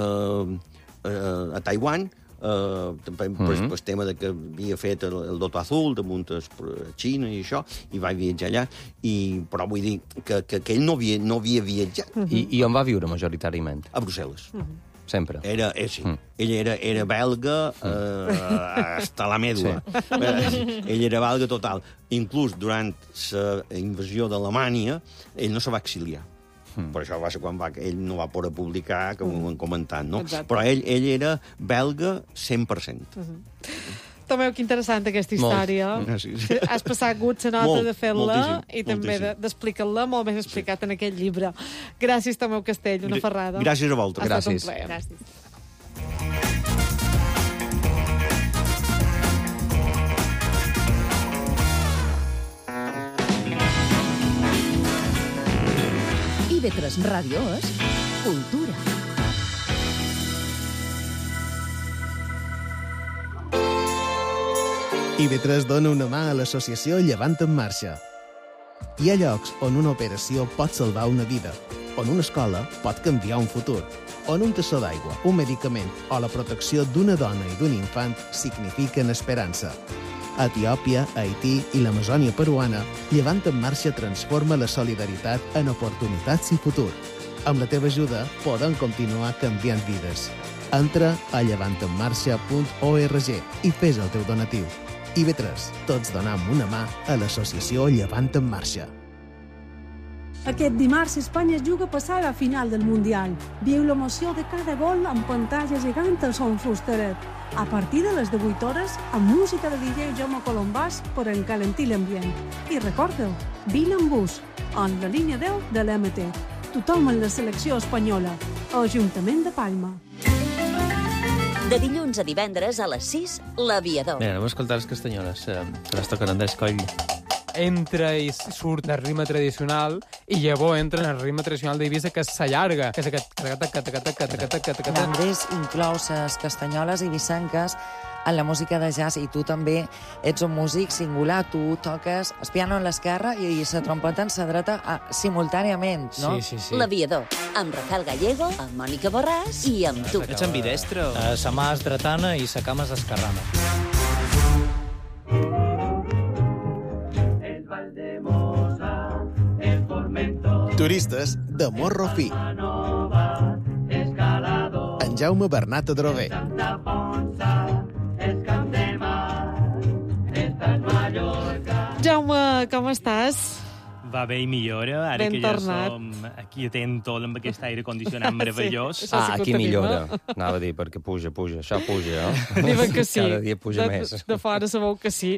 [SPEAKER 6] eh, a Taiwan, Uh, per, mm -hmm. per el tema de que havia fet el, el Loto Azul damunt a Xina i això, i va viatjar allà, i, però vull dir que, que, que ell no havia, no havia viatjat.
[SPEAKER 5] Mm -hmm. I, I on va viure majoritàriament?
[SPEAKER 6] A Brussel·les. Mm -hmm.
[SPEAKER 5] Sempre.
[SPEAKER 6] Era, eh, sí. Mm. Ell era, era belga eh, hasta la mèdula. Sí. Eh, ell era belga total. Inclús durant la invasió d'Alemanya, ell no se va exiliar. Mm. Per això va ser quan va, ell no va poder publicar, com ho hem comentat, no?
[SPEAKER 2] Exacte.
[SPEAKER 6] Però ell, ell era belga cent per cent.
[SPEAKER 2] Mm-hmm. Tomeu, que interessant aquesta història.
[SPEAKER 6] Molt. Sí, sí.
[SPEAKER 2] Has passat gut la nota
[SPEAKER 6] Molt,
[SPEAKER 2] de fer-la
[SPEAKER 6] moltíssim,
[SPEAKER 2] i també
[SPEAKER 6] moltíssim.
[SPEAKER 2] de- d'explicar-la molt ben explicat en aquest llibre. Gràcies, Tomeu Castell, una ferrada.
[SPEAKER 6] Gràcies a vosaltres.
[SPEAKER 2] Ha estat un
[SPEAKER 5] Gràcies.
[SPEAKER 2] plaer.
[SPEAKER 1] Gràcies.
[SPEAKER 7] I ve tres Ràdio és cultura.
[SPEAKER 8] I ve tres dona una mà a l'associació Llevant en Marxa. Hi ha llocs on una operació pot salvar una vida, on una escola pot canviar un futur, on un tassó d'aigua, un medicament o la protecció d'una dona i d'un infant signifiquen esperança. A Etiòpia, Haití i l'Amazònia peruana, Llevant en Marxa transforma la solidaritat en oportunitats i futur. Amb la teva ajuda podem continuar canviant vides. Entra a llevant en marxa punt org i fes el teu donatiu. I ve tres, tots donam una mà a l'associació Llevant en Marxa.
[SPEAKER 9] Aquest dimarts Espanya es juga a passar a la final del Mundial. Viu l'emoció de cada gol amb pantalla gegant al Son Fusteret. A partir de les divuit hores, amb música de D J Jaume Colombàs per encalentir l'ambient. I recorda-ho, vine amb bus, en la línia deu de l'M T. Tothom en la selecció espanyola. Ajuntament de Palma.
[SPEAKER 3] De dilluns a divendres a les sis, L'Aviador.
[SPEAKER 10] Mira, anem a escoltar les castanyoles, eh, que les toquen Andrés Coll. Entra i surt el ritme tradicional i llavors entra en el ritme tradicional d'Eivissa, que s'allarga, que és aquest...
[SPEAKER 11] L'Andrés inclou les castanyoles i vicenques en la música de jazz, i tu també ets un músic singular. Tu toques el piano en l'esquerra i la trompeta en la dreta ah, simultàniament, no?
[SPEAKER 10] Sí, sí, sí.
[SPEAKER 3] L'Aviador, amb Rafael Gallego, amb Mònica Borràs i amb tu.
[SPEAKER 12] Ets ambidestre? Uh, sa mà és dretana i sa cama és esquerrana.
[SPEAKER 8] Turistes de Morro Fi. En Jaume Bernat Adrover.
[SPEAKER 2] Jaume, com estàs?
[SPEAKER 12] Va bé i millora, ara
[SPEAKER 2] Ben
[SPEAKER 12] que ja
[SPEAKER 2] tornat.
[SPEAKER 12] som aquí atento amb aquest aire condicionat meravellós.
[SPEAKER 2] Sí, això sí
[SPEAKER 5] Ah,
[SPEAKER 2] que ho
[SPEAKER 5] aquí
[SPEAKER 2] tenim,
[SPEAKER 5] millora.
[SPEAKER 2] eh?
[SPEAKER 5] Anava a dir, perquè puja, puja, això puja, eh?
[SPEAKER 2] Diuen que sí.
[SPEAKER 5] Cada dia puja
[SPEAKER 2] de,
[SPEAKER 5] més.
[SPEAKER 2] De fora sabeu que sí.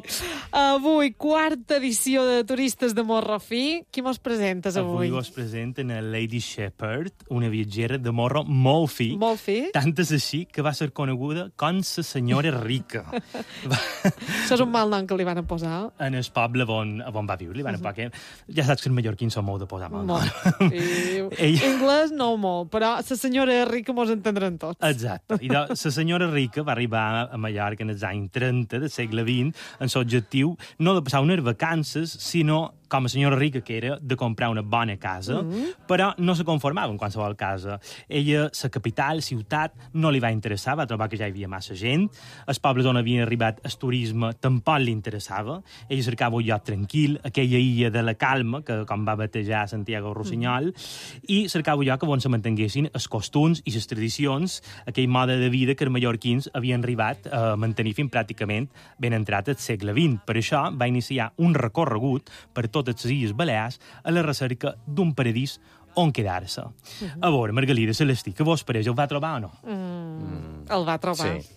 [SPEAKER 2] Avui, quarta edició de Turistes de Morro Fi. Qui mos presentes avui?
[SPEAKER 12] Avui vos presenten a Lady Shepherd, una viatgera de morro molt fi.
[SPEAKER 2] Molt fi.
[SPEAKER 12] Tant és així que va ser coneguda com la senyora rica.
[SPEAKER 2] Això és un mal nom que li van posar.
[SPEAKER 12] En el poble on, on va viure, li van uh -huh. poder... ja saps que els mallorquins són molt de posar mal.
[SPEAKER 2] Molt. I Ell... Anglès no molt, però la senyora rica mos entendran tots.
[SPEAKER 12] Exacte. I la senyora rica va arribar a Mallorca en els anys trenta del segle vint amb l'objectiu no de passar unes vacances, sinó com a senyora rica que era, de comprar una bona casa, mm-hmm. però no se conformava en qualsevol casa. Ella, la capital, ciutat, no li va interessar, va trobar que ja hi havia massa gent, els pobles on havia arribat el turisme tampoc li interessava, ella cercava un lloc tranquil, aquella illa de la calma, que com va batejar Santiago Rossinyol, mm-hmm. i cercava un lloc on se mantenguessin els costums i les tradicions, aquell mode de vida que els mallorquins havien arribat a mantenir fins pràcticament ben entrat al segle vint. Per això va iniciar un recorregut per tot totes les Illes Balears a la recerca d'un paradís on quedar-se. Uh-huh. A veure, Margalida, Celestí, que vos pareix? El va trobar o no?
[SPEAKER 2] Mm, mm. El va trobar.
[SPEAKER 5] Sí.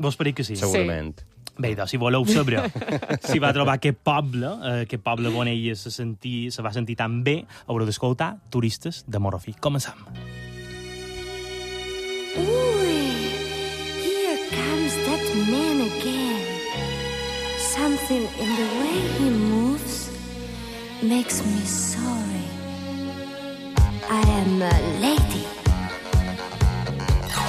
[SPEAKER 12] Vos pareix que sí?
[SPEAKER 5] Segurament.
[SPEAKER 12] Sí. Bé, doncs, si voleu saber si va trobar aquest poble, eh, aquest poble on ella se, sentir, se va sentir tan bé, haureu d'escoltar Turistes de Morofí. Comencem.
[SPEAKER 13] Ui, here comes that man again. Something in the way he moves makes me sorry. I am a lady.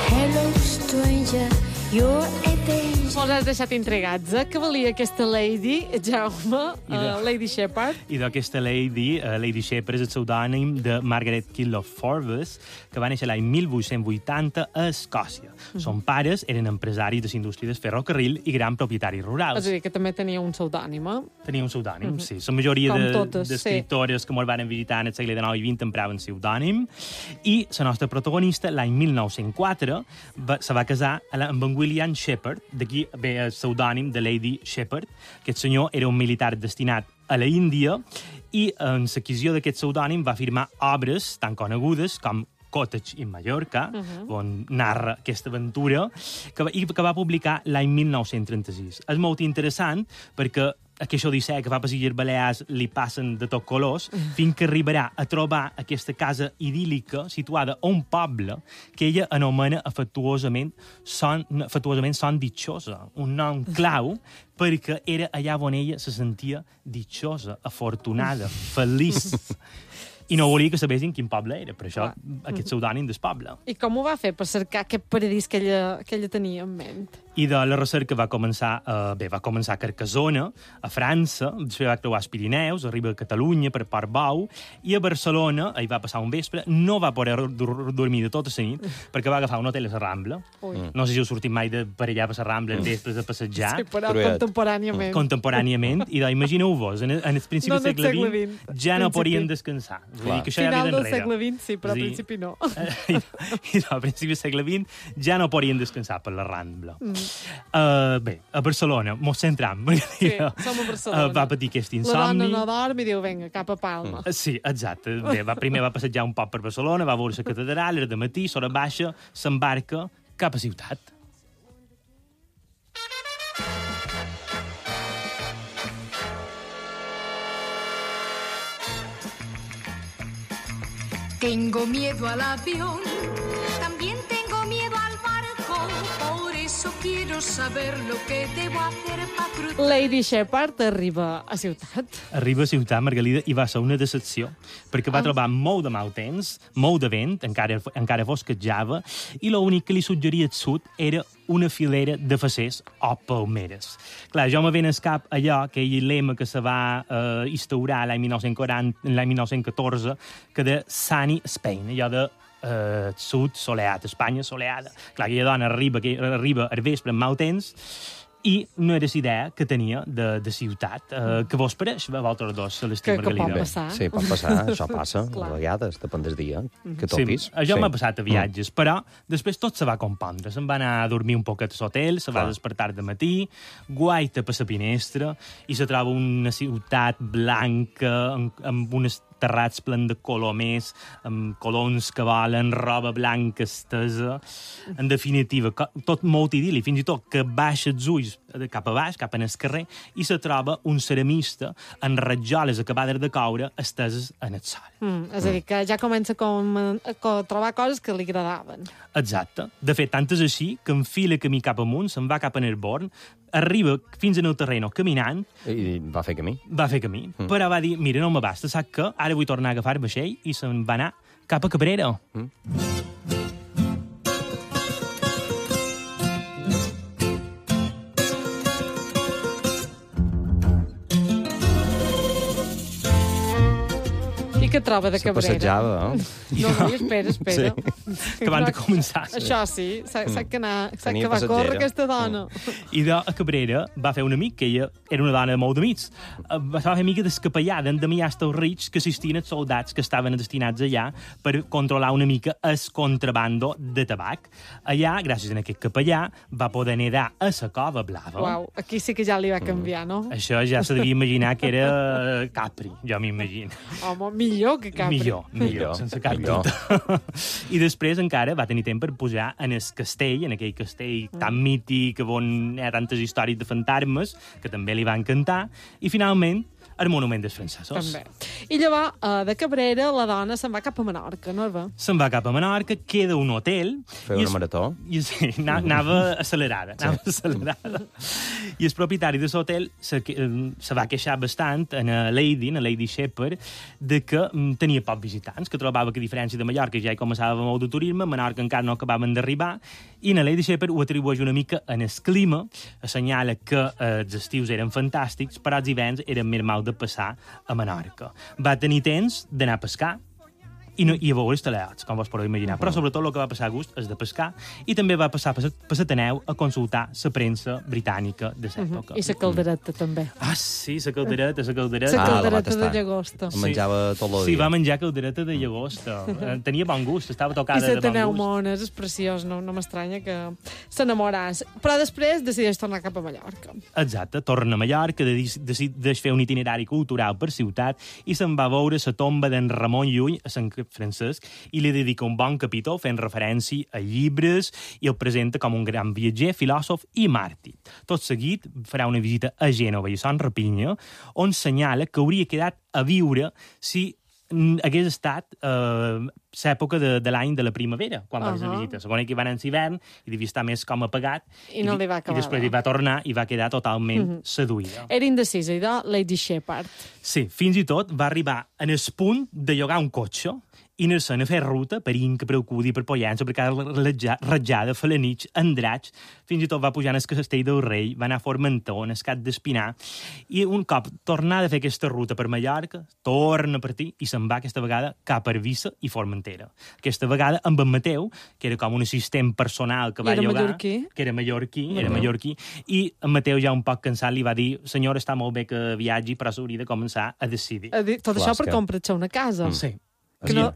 [SPEAKER 13] Hello, stranger, you're a danger.
[SPEAKER 2] Mos has deixat intrigats, eh? Què valia aquesta lady, Jaume, uh, Lady Shepard?
[SPEAKER 12] I d'aquesta lady, uh, Lady Shepard, és el pseudònim de Margaret Killough Forbes, que va néixer l'any mil vuit-cents vuitanta a Escòcia. Mm. Son pares eren empresaris de la indústria del ferrocarril i gran propietaris rurals.
[SPEAKER 2] És a dir, que també tenia un pseudònim, eh?
[SPEAKER 12] Tenia un pseudònim, mm -hmm. sí. La majoria d'escriptores de, sí. que ens van visitar en el segle dinou i vint empraven pseudònim. I la nostra protagonista, l'any mil nou-cents quatre, va, se va casar amb en William Shepard, d'aquí ve el pseudònim de Lady Shepard. Aquest senyor era un militar destinat a la Índia i en l'adquisició d'aquest pseudònim va firmar obres tan conegudes com Cottage in Mallorca, uh-huh. on narra aquesta aventura, que va, i que va publicar l'any mil nou-cents trenta-sis. És molt interessant perquè aquesta odissea que fa per Illes Balears li passen de tot colors, uh-huh. fins que arribarà a trobar aquesta casa idíl·lica situada a un poble que ella anomena afectuosament Son, afectuosament Son Ditxosa, un nom clau perquè era allà on ella se sentia ditxosa, afortunada, feliç. I no volia que sabessin quin poble era, per això aquest pseudònim del poble.
[SPEAKER 2] I com ho va fer per cercar aquest paradís que ella, que ella tenia en ment?
[SPEAKER 12] I de la recerca va començar, eh, bé, va començar a Carcassona, a França, després va creuar els Pirineus, arriba a Catalunya per Portbou, i a Barcelona, hi va passar un vespre, no va poder dormir de tota la nit, perquè va agafar un hotel a la Rambla. Ui. No sé si heu sortit mai de per allà per la Rambla, després de passejar.
[SPEAKER 2] Sí, però contemporàniament.
[SPEAKER 12] Contemporàniament, i contemporàniament, en, en el principi
[SPEAKER 2] no,
[SPEAKER 12] del segle vint, ja no podien descansar.
[SPEAKER 2] Vull dir que això Final ja del segle vint, sí, però al principi no.
[SPEAKER 12] I, i no, al principi del segle vint ja no podien descansar per la Rambla. Mm. Uh, bé, a Barcelona, mos centram.
[SPEAKER 2] Sí, som a Barcelona.
[SPEAKER 12] Uh, va patir aquest insomni.
[SPEAKER 2] La dona no dorm i diu, vinga, cap a Palma.
[SPEAKER 12] Mm. Sí, exacte. Bé, va, primer va passejar un poc per Barcelona, va veure la catedral, era de matí, s'hora baixa, s'embarca cap a ciutat.
[SPEAKER 14] Tengo miedo al avión, también tengo miedo al barco, por eso quiero saber lo que debo hacer para cruzar.
[SPEAKER 2] Lady Shepard arriba a ciutat.
[SPEAKER 12] Arriba a ciutat, Margalida, i va ser una decepció, perquè va ah. trobar molt de mal temps, molt de vent, encara, encara fosquejava, i l'únic que li suggeria al sud era una filera de facers o palmeres. Clar, jo me ven al cap allò, aquell lema que se va eh, instaurar l'any mil nou-cents quaranta, l'any mil nou-cents catorze, que de Sunny Spain, allò de eh, sud soleat, Espanya soleada. Clar, aquella dona arriba, que arriba al vespre amb mal temps, i no era la idea que tenia de, de ciutat. Uh, que vos pareix, vosaltres dos, Celestí i Margalida?
[SPEAKER 2] Que pot passar.
[SPEAKER 5] Sí, pot passar, això passa, a vegades, depèn del dia, que topis.
[SPEAKER 12] Sí, això
[SPEAKER 5] sí.
[SPEAKER 12] m'ha passat a viatges, mm. però després tot se va compondre. Se'n va anar a dormir un poquet a l'hotel, se va despertar de matí, guaita per la finestra, i se troba una ciutat blanca, amb, amb unes terrats plens de colomers, amb colons que volen, roba blanca estesa. En definitiva, tot molt idíl·lic, fins i tot que baixa els ulls de cap a baix, cap en el carrer, i se troba un ceramista amb ratjoles acabades de coure esteses en el sol.
[SPEAKER 2] Mm, és a dir, que ja comença com a, a trobar coses que li agradaven.
[SPEAKER 12] Exacte. De fet, tant és així que enfila camí cap amunt, se'n va cap a Nerborn, arriba fins en el terreno caminant...
[SPEAKER 5] I va fer camí.
[SPEAKER 12] Va fer camí. Mm. Però va dir, mira, no m'abasta, sap que ara vull tornar a agafar el vaixell, i se'n va anar cap a Cabrera. Mm.
[SPEAKER 2] I què troba de Cabrera?
[SPEAKER 5] Se passejava, eh?
[SPEAKER 2] No, no, espera, espera.
[SPEAKER 12] Sí. Acabant de començar.
[SPEAKER 2] Això sí, sap, sap que, anar, sap
[SPEAKER 5] Tenia
[SPEAKER 2] que va
[SPEAKER 5] passatgera.
[SPEAKER 2] córrer aquesta dona.
[SPEAKER 12] I de a Cabrera va fer un amic, que ella era una dona molt d'amics. Va fer amiga del capellà d'Endemià Estelrich, que assistien els soldats que estaven destinats allà per controlar una mica el contrabando de tabac. Allà, gràcies a aquest capellà, va poder nedar a la cova blava.
[SPEAKER 2] Uau, aquí sí que ja li va canviar, no?
[SPEAKER 12] Això ja se devia imaginar que era Capri, jo m'imagino.
[SPEAKER 2] Home, millor que Capri.
[SPEAKER 12] Millor, millor, sense cap
[SPEAKER 5] millor.
[SPEAKER 12] dubte. I després encara va tenir temps per pujar en el castell, en aquell castell tan mític on hi ha tantes històries de fantasmes, que també li va encantar, i finalment el monument dels francesos.
[SPEAKER 2] També. I llavors, uh, de Cabrera, la dona se'n va cap a Menorca, no va?
[SPEAKER 12] Se'n va cap a Menorca, queda un hotel...
[SPEAKER 5] Fer una marató.
[SPEAKER 12] I, sí, anava accelerada, anava sí. accelerada. I el propietari de l'hotel se, se va queixar bastant en a Lady, en a Lady Shepherd, de que mm, tenia pocs visitants, que trobava que, a diferència de Mallorca, ja hi començava molt de turisme, a Menorca encara no acabaven d'arribar, i en a Lady Shepherd ho atribueix una mica en el clima, assenyala que eh, els estius eren fantàstics, però els hiverns eren més mal de passar a Menorca. Va tenir temps d'anar a pescar i, no, i a veure els teleots, com vos podeu imaginar. Però sobretot el que va passar a gust és de pescar, i també va passar per l'Ateneu a consultar la premsa britànica de l'època.
[SPEAKER 2] Uh -huh. I la caldereta, mm. també.
[SPEAKER 12] Ah, sí, la caldereta, la caldereta.
[SPEAKER 2] La
[SPEAKER 5] Ah,
[SPEAKER 2] caldereta
[SPEAKER 5] la va
[SPEAKER 2] de llagosta.
[SPEAKER 5] Sí. Menjava tot el dia.
[SPEAKER 12] Sí, va menjar caldereta de llagosta. Tenia bon gust, estava tocada
[SPEAKER 2] I
[SPEAKER 12] de bon
[SPEAKER 2] l'Ateneu
[SPEAKER 12] gust.
[SPEAKER 2] Mones, és preciós, no, no m'estranya que s'enamoràs. Però després decideix tornar cap a Mallorca.
[SPEAKER 12] Exacte, torna a Mallorca, decideix fer un itinerari cultural per ciutat i se'n va a veure la tomba d'en Ramon Llull a Sant Francesc i li dedica un bon capítol fent referència a llibres i el presenta com un gran viatger, filòsof i màrtir. Tot seguit farà una visita a Gènova i a Son Rapinya, on senyala que hauria quedat a viure si hagués estat eh, l'època de, de l'any de la primavera, quan va uh -huh. fer la visita. Segons que hi va anar en l'hivern i devia estar més com apagat.
[SPEAKER 2] I no li va acabar.
[SPEAKER 12] I després hi va tornar i va quedar totalment uh -huh. seduïda.
[SPEAKER 2] Era indecisa, i de Lady Shepherd.
[SPEAKER 12] Sí, fins i tot va arribar en el punt de llogar un cotxe i anar-se'n a fer ruta per Inca, per Alcúdia, per Pollença, per cada ratjada, Felanitx, Andratx, fins i tot va pujar en el Castell del Rei, va anar a Formentor, en el Cap d'Espinar, i un cop tornada a fer aquesta ruta per Mallorca, torna a partir i se'n va aquesta vegada cap a Eivissa i Formentera. Aquesta vegada amb en Mateu, que era com un assistent personal que va
[SPEAKER 2] era
[SPEAKER 12] llogar,
[SPEAKER 2] mallorquí.
[SPEAKER 12] que era mallorquí, era mallorquí, i en Mateu ja un poc cansat li va dir, senyora, està molt bé que viatgi, però s'hauria de començar a decidir.
[SPEAKER 2] A dir, tot això per comprar-se una casa.
[SPEAKER 12] Mm. Sí.
[SPEAKER 2] Que no,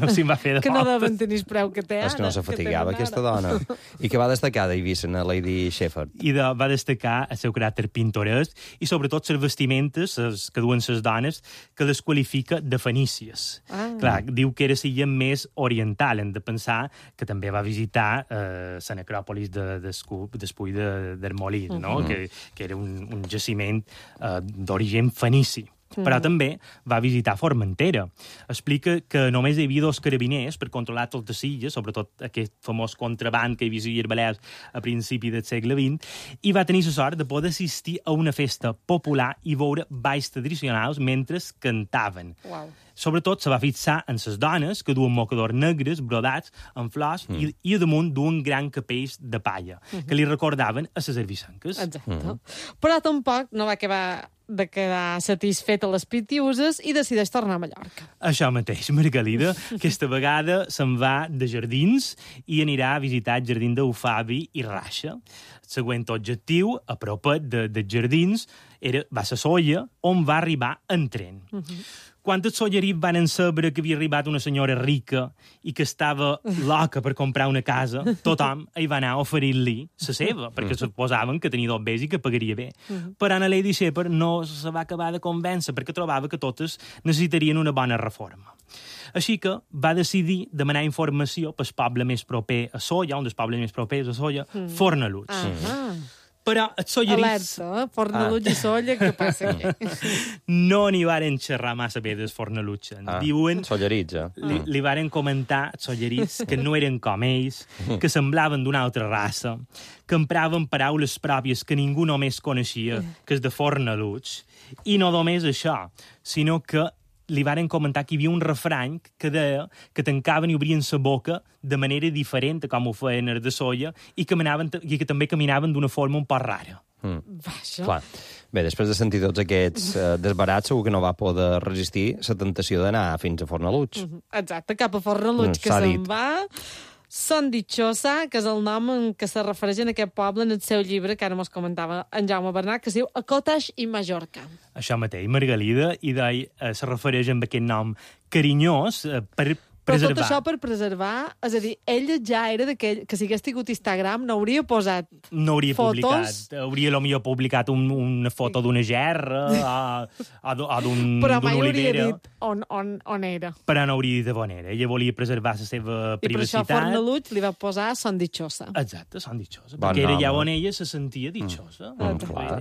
[SPEAKER 12] sí, va fer de
[SPEAKER 2] que no deuen tenir el preu que té ara.
[SPEAKER 5] És que no se fatigava, aquesta dona. I que va destacar d'Eivissa, a Lady Shepherd.
[SPEAKER 12] I de, va destacar el seu caràcter pintoresc i sobretot les vestimentes les que duen les dones, que les qualifica de fenícies.
[SPEAKER 2] Ah.
[SPEAKER 12] Clar, diu que era la més oriental. Hem de pensar que també va visitar eh, la necròpolis de, d'Espull de, d'Hermolí, no? Uh -huh. que, que era un, un jaciment eh, d'origen fenici. Però també va visitar Formentera. Explica que només hi havia dos carabiners per controlar totes les illes, sobretot aquest famós contraband que hi havia a Balears a principi del segle vint, i va tenir la sort de poder assistir a una festa popular i veure balls tradicionals mentre cantaven.
[SPEAKER 2] Wow.
[SPEAKER 12] Sobretot se va fixar en les dones que duen mocadors negres brodats amb flors mm. i, i a damunt duen gran capells de palla, mm -hmm. que li recordaven a les herbisanques.
[SPEAKER 2] Exacte. Mm -hmm. Però tampoc no va acabar de quedar satisfet a les pitiuses i decideix tornar a Mallorca.
[SPEAKER 12] Això mateix, Margalida. Aquesta vegada se'n va de jardins i anirà a visitar el jardí d'Eufabi i Raixa. El següent objectiu, a propet de, de jardins, era, va ser Solla, on va arribar en tren. Uh -huh. Quan els sollerits van saber que havia arribat una senyora rica i que estava loca per comprar una casa, tothom hi va anar a oferir-li la seva, perquè suposaven que tenia dos bés i que pagaria bé. Uh-huh. Però a Lady Shepherd no se va acabar de convèncer, perquè trobava que totes necessitarien una bona reforma. Així que va decidir demanar informació pel poble més proper a Solla, un dels pobles més propers a Solla, mm. Fornalutx. Uh-huh. Però els sollerits...
[SPEAKER 2] Alerta, eh? Fornaluig ah. i Solla, què passa aquí?
[SPEAKER 12] No n'hi varen xerrar massa bé dels Fornaluig.
[SPEAKER 5] Ah,
[SPEAKER 12] diuen...
[SPEAKER 5] Sollerits, eh?
[SPEAKER 12] Li, li varen comentar els sollerits que no eren com ells, que semblaven d'una altra raça, que empraven paraules pròpies que ningú només coneixia, que és de Fornaluig. I no només això, sinó que li varen comentar que hi havia un refrany que deia que tancaven i obrien la boca de manera diferent a com ho feien els de Solla i que, manaven, i que també caminaven d'una forma un poc rara.
[SPEAKER 5] Mm. Clar. Bé, després de sentir tots aquests eh, desbarats, segur que no va poder resistir la tentació d'anar fins a Fornaluig.
[SPEAKER 2] Exacte, cap a Fornaluig, mm, que se'n va... Son Dichosa, que és el nom en què se refereix en aquest poble en el seu llibre, que ara mos comentava en Jaume Bernat, que es diu A Cottage i Mallorca.
[SPEAKER 12] Això mateix, Margalida, i deia, eh, se refereix amb aquest nom carinyós eh, per
[SPEAKER 2] Però
[SPEAKER 12] preservar.
[SPEAKER 2] tot això per preservar, és a dir, ella ja era d'aquell, que si hagués tingut Instagram no hauria posat
[SPEAKER 12] no hauria
[SPEAKER 2] fotos.
[SPEAKER 12] Publicat, hauria potser publicat un, una foto d'una gerra o, o d'un
[SPEAKER 2] Però mai hauria
[SPEAKER 12] olivera.
[SPEAKER 2] dit on, on, on era.
[SPEAKER 12] Però no hauria dit de on era. Ella volia preservar la seva
[SPEAKER 2] I per això
[SPEAKER 12] privacitat.
[SPEAKER 2] Fornaluig li va posar Son Dichosa.
[SPEAKER 12] Exacte, Son Dichosa.
[SPEAKER 5] Bon
[SPEAKER 12] perquè era
[SPEAKER 5] nom,
[SPEAKER 12] ja
[SPEAKER 5] eh?
[SPEAKER 12] on ella se sentia dichosa.
[SPEAKER 5] Mm, clar.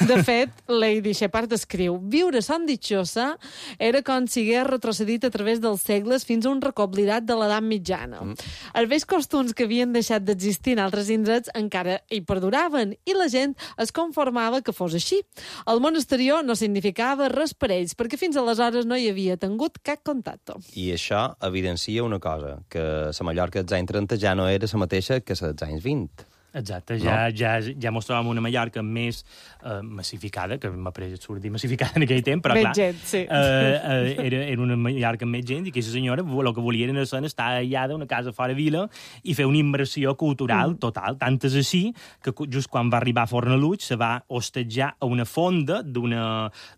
[SPEAKER 2] De fet, Lady Shepard escriu: viure Son Dichosa era com si hagués retrocedit a través dels segles fins a un recoblidat de l'edat mitjana. Mm. Els vells costums que havien deixat d'existir en altres indrets encara hi perduraven i la gent es conformava que fos així. El món exterior no significava res per ells, perquè fins aleshores no hi havia tingut cap contacte.
[SPEAKER 5] I això evidencia una cosa, que la Mallorca dels anys trenta ja no era la mateixa que la dels anys vint.
[SPEAKER 12] Exacte, ja, no? ja, ja mos trobem una Mallorca més eh, massificada, que m'ha pareixit absurd dir massificada en aquell temps, però
[SPEAKER 2] més
[SPEAKER 12] clar,
[SPEAKER 2] gent, sí.
[SPEAKER 12] eh, eh, era, era una Mallorca amb més gent i aquesta senyora el que volia era estar aïllada a una casa fora vila i fer una immersió cultural mm. total. Tant és així que just quan va arribar a Fornaluig se va hostatjar a una fonda d'una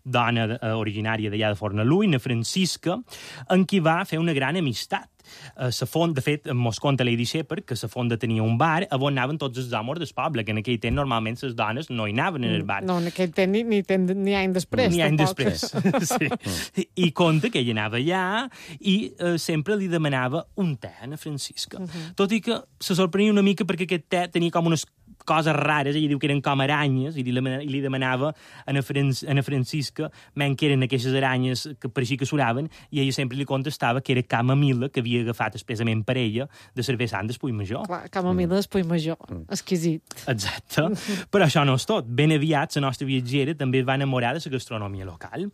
[SPEAKER 12] dona eh, originària d'allà de Fornaluig, na Francisca, en qui va fer una gran amistat. Uh, la font, de fet, mos conta Lady Shepard que la fonda tenia un bar on anaven tots els homes del poble, que en aquell temps normalment les dones no hi anaven en el bar.
[SPEAKER 2] No, en aquell temps ni, ni, ni any després.
[SPEAKER 12] Ni any
[SPEAKER 2] tampoc.
[SPEAKER 12] després, sí. I conta que ella anava allà i uh, sempre li demanava un te a na Francisca. Uh -huh. Tot i que se sorprenia una mica perquè aquest te tenia com unes coses rares, ella diu que eren com aranyes, i li, i li demanava a na, Fran a na Francisca men que eren aquestes aranyes que pareixia que suraven, i ella sempre li contestava que era camamila, que havia agafat expressament per ella de cervell sant d'Espull Major.
[SPEAKER 2] Clar, camamila d'Espull Major, mm. exquisit.
[SPEAKER 12] Exacte. Però això no és tot. Ben aviat, la nostra viatgera també es va enamorar de la gastronomia local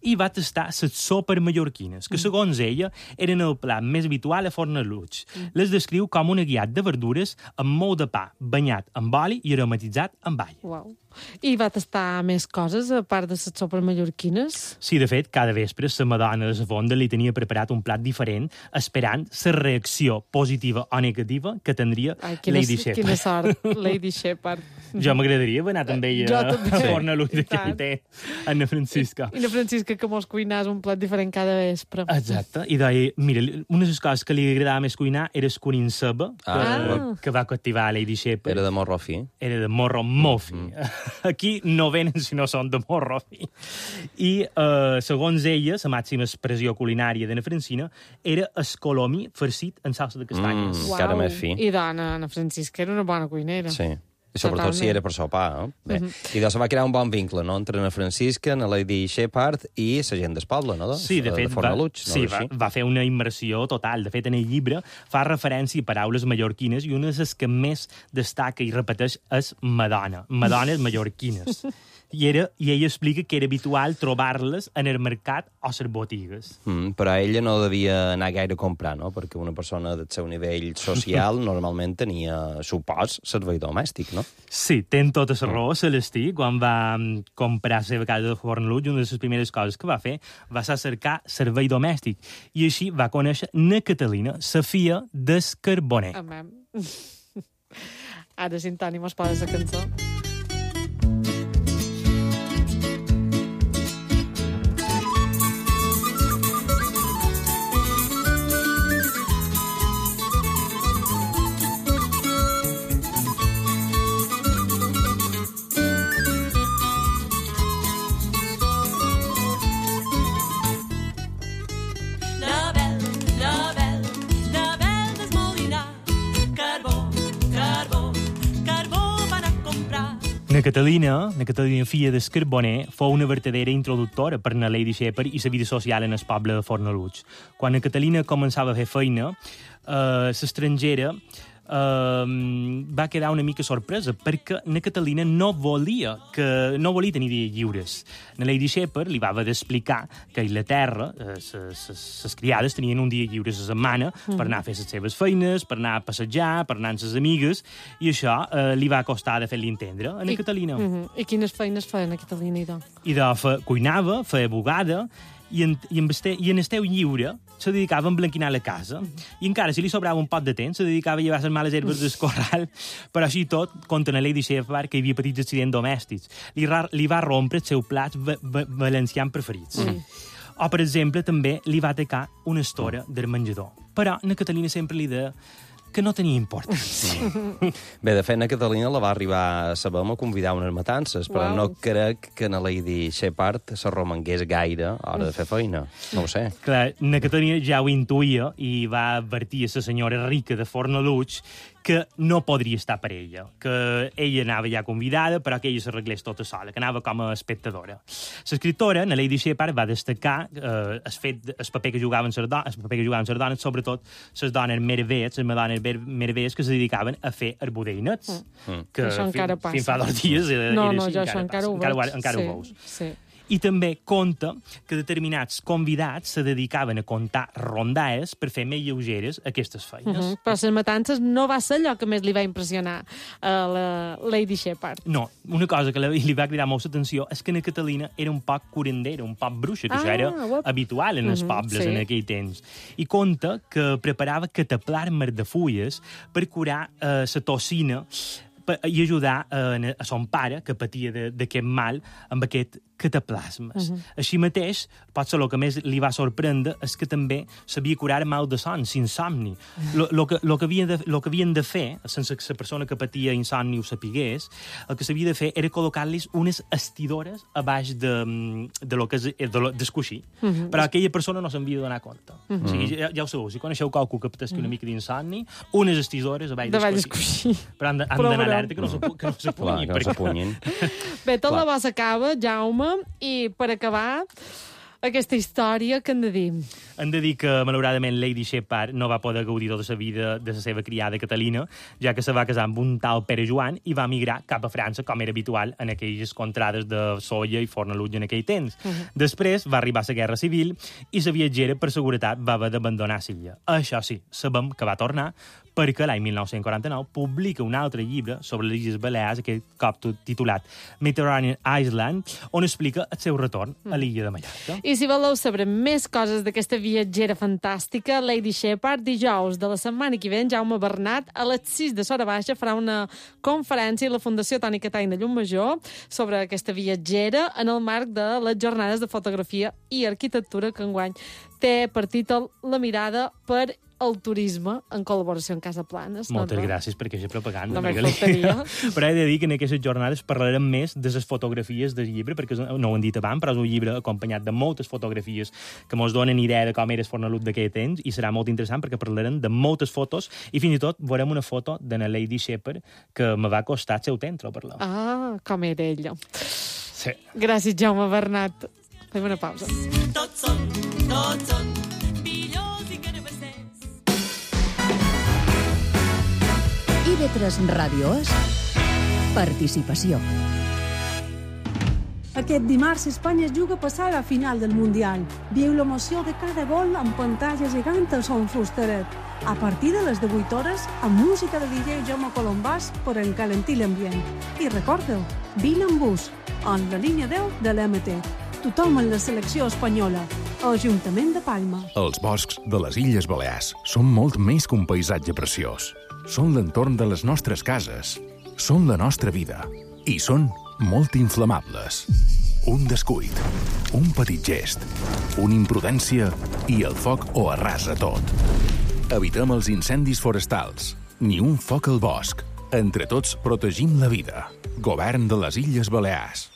[SPEAKER 12] i va tastar les sopes mallorquines, que segons ella eren el plat més habitual a Fornaluig. Mm. Les descriu com un aguiat de verdures amb molt de pa, banyat amb oli i aromatitzat amb all.
[SPEAKER 2] Uau. I va tastar més coses, a part de les sopes mallorquines?
[SPEAKER 12] Sí, de fet, cada vespre la madona de la fonda li tenia preparat un plat diferent, esperant la reacció positiva o negativa que tindria
[SPEAKER 2] Ai, quina,
[SPEAKER 12] Lady Shepard.
[SPEAKER 2] Quina sort, Lady Shepard.
[SPEAKER 12] Jo m'agradaria haver anat amb ella a Fornaluig d'aquell temps, a na Francisca.
[SPEAKER 2] I na Francisca que mos cuinàs un plat diferent cada vespre.
[SPEAKER 12] Exacte. I deia, mira, una de les coses que li agradava més cuinar era el curin ceba, que,
[SPEAKER 2] ah.
[SPEAKER 12] que va captivar a Lady Shepard.
[SPEAKER 5] Era de morro fi.
[SPEAKER 12] Era de morro molt fi. Mm -hmm. Aquí no venen si no són de morro fi. I, eh, segons ella, la màxima expressió culinària de na Francina era escolomí farcit en salsa de castanyes.
[SPEAKER 5] Mm, encara més fi.
[SPEAKER 2] I dona, na Francisca era una bona cuinera.
[SPEAKER 5] Sí. I sobretot Totalment. Si era per sopar, no? Bé. Uh -huh. I doncs se va crear un bon vincle, no?, entre na Francisca, na Lady Shepard i la gent del poble, no?
[SPEAKER 12] Sí, de fet,
[SPEAKER 5] de Fornaluig,
[SPEAKER 12] va,
[SPEAKER 5] no
[SPEAKER 12] sí, va, va fer una immersió total. De fet, en el llibre fa referència a paraules mallorquines i una de les que més destaca i repeteix és Madonna. Madones mallorquines. I, era, I ella explica que era habitual trobar-les en el mercat o les botigues.
[SPEAKER 5] Mm, però ella no devia anar gaire a comprar, no? Perquè una persona del seu nivell social normalment tenia, supòs, servei domèstic, no?
[SPEAKER 12] Sí, ten tota la raó, Celestí. Quan va comprar la seva casa de Fornaluig, una de les primeres coses que va fer va ser cercar servei domèstic. I així va conèixer na Catalina, la filla del Carboner.
[SPEAKER 2] Amam. Ara, si en Toni mos posa la cançó.
[SPEAKER 15] Carbó, carbó, carbó van a comprar.
[SPEAKER 12] Catalina, la Catalina filla del Carboner, fou una vertadera introductora per la Lady Shepard i la vida social en el poble de Fornalutx. Quan la Catalina començava a fer feina, eh, l'estrangera Uh, va quedar una mica sorpresa perquè la Catalina no volia que no volia tenir dies lliures. La Lady Shepard li va haver d'explicar que a Inglaterra les criades tenien un dia lliure a la setmana mm. per anar a fer les seves feines, per anar a passejar, per anar amb les amigues, i això uh, li va costar de fer-li entendre a la
[SPEAKER 2] I,
[SPEAKER 12] Catalina.
[SPEAKER 2] Uh -huh. I quines feines feia la Catalina, idò?
[SPEAKER 12] Idò fe, cuinava, feia bugada, i en, i, en este, i en el teu lliure se dedicava a emblanquinar la casa. I encara, si li sobrava un pot de temps, se dedicava a llevar les males herbes del corral. Però així tot, contra la Lady Shepard, que hi havia petits accidents domèstics. Li, ra, li va rompre els seus plats va, va, valencians preferits. Mm. O, per exemple, també li va atacar una estora del menjador. Però la Catalina sempre li deia que no tenia importància.
[SPEAKER 5] Bé, de fet, na Catalina la va arribar a saber a convidar a unes matances, però wow. no crec que na Lady Shepard se romangués gaire a l'hora de fer feina. No ho sé.
[SPEAKER 12] Clar, na Catalina ja ho intuïa i va advertir a la senyora rica de Fornalutx que no podria estar per ella, que ella anava ja convidada, però que ella s'arreglés tota sola, que anava com a espectadora. L'escriptora, na Lady Shepard, va destacar eh, el fet, el paper que jugaven les dones, el paper que jugaven les dones, sobretot les dones meravelles, les dones meravelles que se dedicaven a fer arbudeinets.
[SPEAKER 2] Mm. Que això encara passa.
[SPEAKER 12] Fins fa dos dies era,
[SPEAKER 2] no,
[SPEAKER 12] era
[SPEAKER 2] no,
[SPEAKER 12] així,
[SPEAKER 2] jo
[SPEAKER 12] encara
[SPEAKER 2] això encara ho veig.
[SPEAKER 12] Encara, encara
[SPEAKER 2] sí,
[SPEAKER 12] ho veus.
[SPEAKER 2] Sí.
[SPEAKER 12] I també conta que determinats convidats se dedicaven a contar rondaes per fer més lleugeres aquestes feines. Uh -huh.
[SPEAKER 2] Però les matances no va ser allò que més li va impressionar a la Lady Shepard.
[SPEAKER 12] No, una cosa que li va cridar molt l'atenció és que na Catalina era un poc curandera, un poc bruixa, que ah, això era uop. habitual en els uh -huh, pobles sí. en aquell temps. I conta que preparava cataplasmes de fulles per curar eh, la tossina i ajudar eh, a son pare, que patia d'aquest mal, amb aquest cataplasmes. Uh -huh. Així mateix, potser el que més li va sorprendre és que també sabia curar mal de son, insomni. Lo, lo, que, lo, que havien de, lo que havien de fer, sense que la persona que patia insomni ho sapigués, el que s'havia de fer era col·locar-los unes estidores a baix de, de lo que és de lo, d'escoixir. Uh -huh. Però aquella persona no se'n havia de donar compte. Uh -huh. O sigui, ja, ja ho sabeu, si coneixeu qualcú que patesqui una mica d'insomni, unes estidores a baix d'escoixir. Però han d'anar alerta que no s'apunyin.
[SPEAKER 5] Clar, que no s'apunyin.
[SPEAKER 2] Bé, tot la bo s'acaba, Jaume, i per acabar aquesta història, què hem de dir?
[SPEAKER 12] Hem de dir que, malauradament, Lady Shepard no va poder gaudir tota la vida de la seva criada Catalina, ja que se va casar amb un tal Pere Joan i va migrar cap a França, com era habitual en aquelles contrades de Sóller i Fornalutx en aquell temps. Uh -huh. Després va arribar la Guerra Civil i la viatgera, per seguretat, va haver d'abandonar l'illa. Això sí, sabem que va tornar perquè l'any mil nou-cents quaranta-nou publica un altre llibre sobre les Illes Balears, aquest cop titulat Mediterranean Island, on explica el seu retorn a l'illa de Mallorca.
[SPEAKER 2] I si voleu saber més coses d'aquesta viatgera fantàstica, Lady Shepard, dijous de la setmana que ve, en Jaume Bernat, a les sis de Sora Baixa, farà una conferència a la Fundació Toni Catany de Llumajor sobre aquesta viatgera en el marc de les jornades de fotografia i arquitectura que enguany té per títol La mirada per el turisme en col·laboració amb Casa Planes.
[SPEAKER 12] Moltes no, gràcies per aquesta propaganda.
[SPEAKER 2] No faltaria.
[SPEAKER 12] Però he de dir que en aquestes jornades parlarem més de les fotografies del llibre, perquè no ho hem dit abans, però és un llibre acompanyat de moltes fotografies que ens donen idea de com era Fornalutx d'aquell temps, i serà molt interessant perquè parlarem de moltes fotos, i fins i tot veurem una foto de la Lady Shepard que me va costar el seu temps trobar-la.
[SPEAKER 2] Ah, com era ella.
[SPEAKER 12] Sí.
[SPEAKER 2] Gràcies, Jaume Bernat. Fem una pausa.
[SPEAKER 4] Tots són, tots són millors i carabassers.
[SPEAKER 7] I V tres Ràdio és participació.
[SPEAKER 9] Aquest dimarts Espanya es juga a passar a la final del Mundial. Viu l'emoció de cada gol amb pantalla gegant al Son Fusteret. A partir de les divuit hores, amb música de D J Jaume Colombàs per encalentir l'ambient. I recordeu, vine amb bus, en la línia deu de l'M T. Tothom en la selecció espanyola. Ajuntament de Palma.
[SPEAKER 15] Els boscs de les Illes Balears són molt més que un paisatge preciós. Són l'entorn de les nostres cases. Són la nostra vida. I són molt inflamables. Un descuit, un petit gest, una imprudència i el foc ho arrasa tot. Evitem els incendis forestals. Ni un foc al bosc. Entre tots protegim la vida. Govern de les Illes Balears.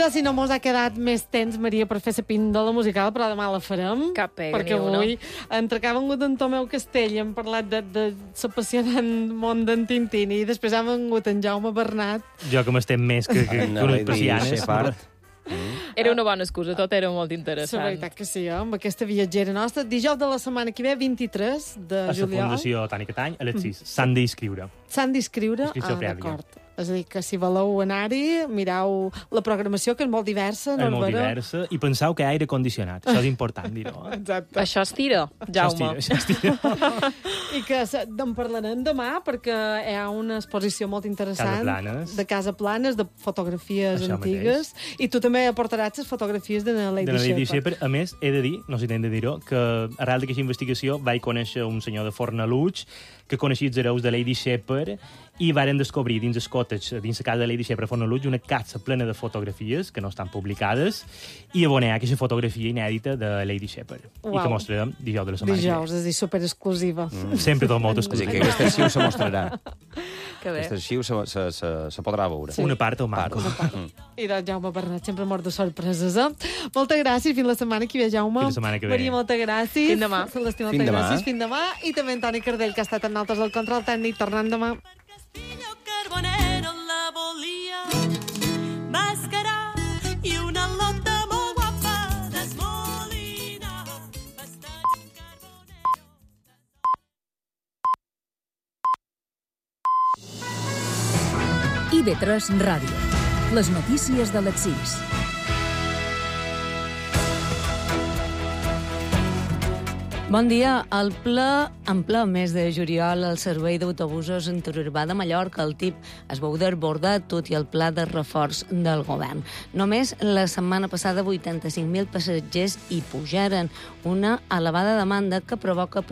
[SPEAKER 2] sé si no mos ha quedat més temps, Maria, per fer la píndola musical, però demà la farem.
[SPEAKER 1] Cap pega,
[SPEAKER 2] perquè
[SPEAKER 1] ni una.
[SPEAKER 2] avui, entre que ha vengut en Tomeu Castell i hem parlat de, de l'apassionant món d'en Tintini, i després ha vengut en Jaume Bernat.
[SPEAKER 12] Jo que m'estem més que, que, que unes persianes.
[SPEAKER 1] Era una bona excusa, tot era molt interessant.
[SPEAKER 2] La veritat que sí, eh? Amb aquesta viatgera nostra. Dijous de la setmana que ve, vint-i-tres de
[SPEAKER 12] a
[SPEAKER 2] juliol.
[SPEAKER 12] A la Fundació Toni Catany, a les sis. S'han d'inscriure.
[SPEAKER 2] S'han d'inscriure?
[SPEAKER 12] Inscripció
[SPEAKER 2] Ah,
[SPEAKER 12] prèvia.
[SPEAKER 2] d'acord. És a dir, que si voleu anar-hi, mireu la programació, que és molt diversa.
[SPEAKER 12] És molt
[SPEAKER 2] Norbera.
[SPEAKER 12] diversa, i penseu que hi ha aire condicionat. Això és important dir-ho. Eh?
[SPEAKER 2] Exacte.
[SPEAKER 1] Això es tira, Jaume.
[SPEAKER 12] Això es tira, això es tira.
[SPEAKER 2] I que se- en parlarem demà, perquè hi ha una exposició molt interessant
[SPEAKER 12] Casaplanes.
[SPEAKER 2] de Casa Planes, de fotografies
[SPEAKER 12] Això
[SPEAKER 2] antigues, i tu també aportaràs les fotografies de la Lady,
[SPEAKER 12] de la Lady
[SPEAKER 2] Shepard.
[SPEAKER 12] Shepard. A més, he de dir, no sé si t'hem de dir-ho, que arrel d'aquesta investigació vaig conèixer un senyor de Fornalutx que coneixia els hereus de Lady Shepard i varen descobrir dins el cottage, dins la casa de Lady Shepard a Fornalutx, una casa plena de fotografies que no estan publicades i a on hi ha aquesta fotografia inèdita de Lady Shepard. I
[SPEAKER 2] Uau.
[SPEAKER 12] que mostrarem dijous de la setmana.
[SPEAKER 2] Dijous, és a dir, superexclusiva.
[SPEAKER 12] Mm. Sempre tot molt
[SPEAKER 5] És a dir,
[SPEAKER 12] exclusiu.
[SPEAKER 5] que aquest arxiu se mostrarà.
[SPEAKER 1] Que bé.
[SPEAKER 5] Aquest arxiu se, se, se, se podrà veure.
[SPEAKER 12] Sí. Una part o manco.
[SPEAKER 2] I doncs Jaume Bernat, sempre mort de sorpreses, eh? Moltes gràcies, fins la setmana que ve, Jaume.
[SPEAKER 12] Fins la setmana que ve.
[SPEAKER 2] Maria, moltes gràcies.
[SPEAKER 1] Fins demà.
[SPEAKER 2] Celestí,
[SPEAKER 5] Fins
[SPEAKER 2] moltes
[SPEAKER 5] demà.
[SPEAKER 2] gràcies. Fins demà. I també en Toni Cardell, que ha estat amb nosaltres al control tècnic, tornant demà.
[SPEAKER 16] Carbonero la volia mascarar i una lota molt guapa d'esmolina.
[SPEAKER 7] I ve tres Ràdio. Les notícies de les sis.
[SPEAKER 17] Bon dia. El ple, en ple mes de juliol, el servei d'autobusos interurbà de Mallorca, el T I P, es veu desbordat tot i el pla de reforç del govern. Només la setmana passada vuitanta-cinc mil passatgers hi pujaren, una elevada demanda que provoca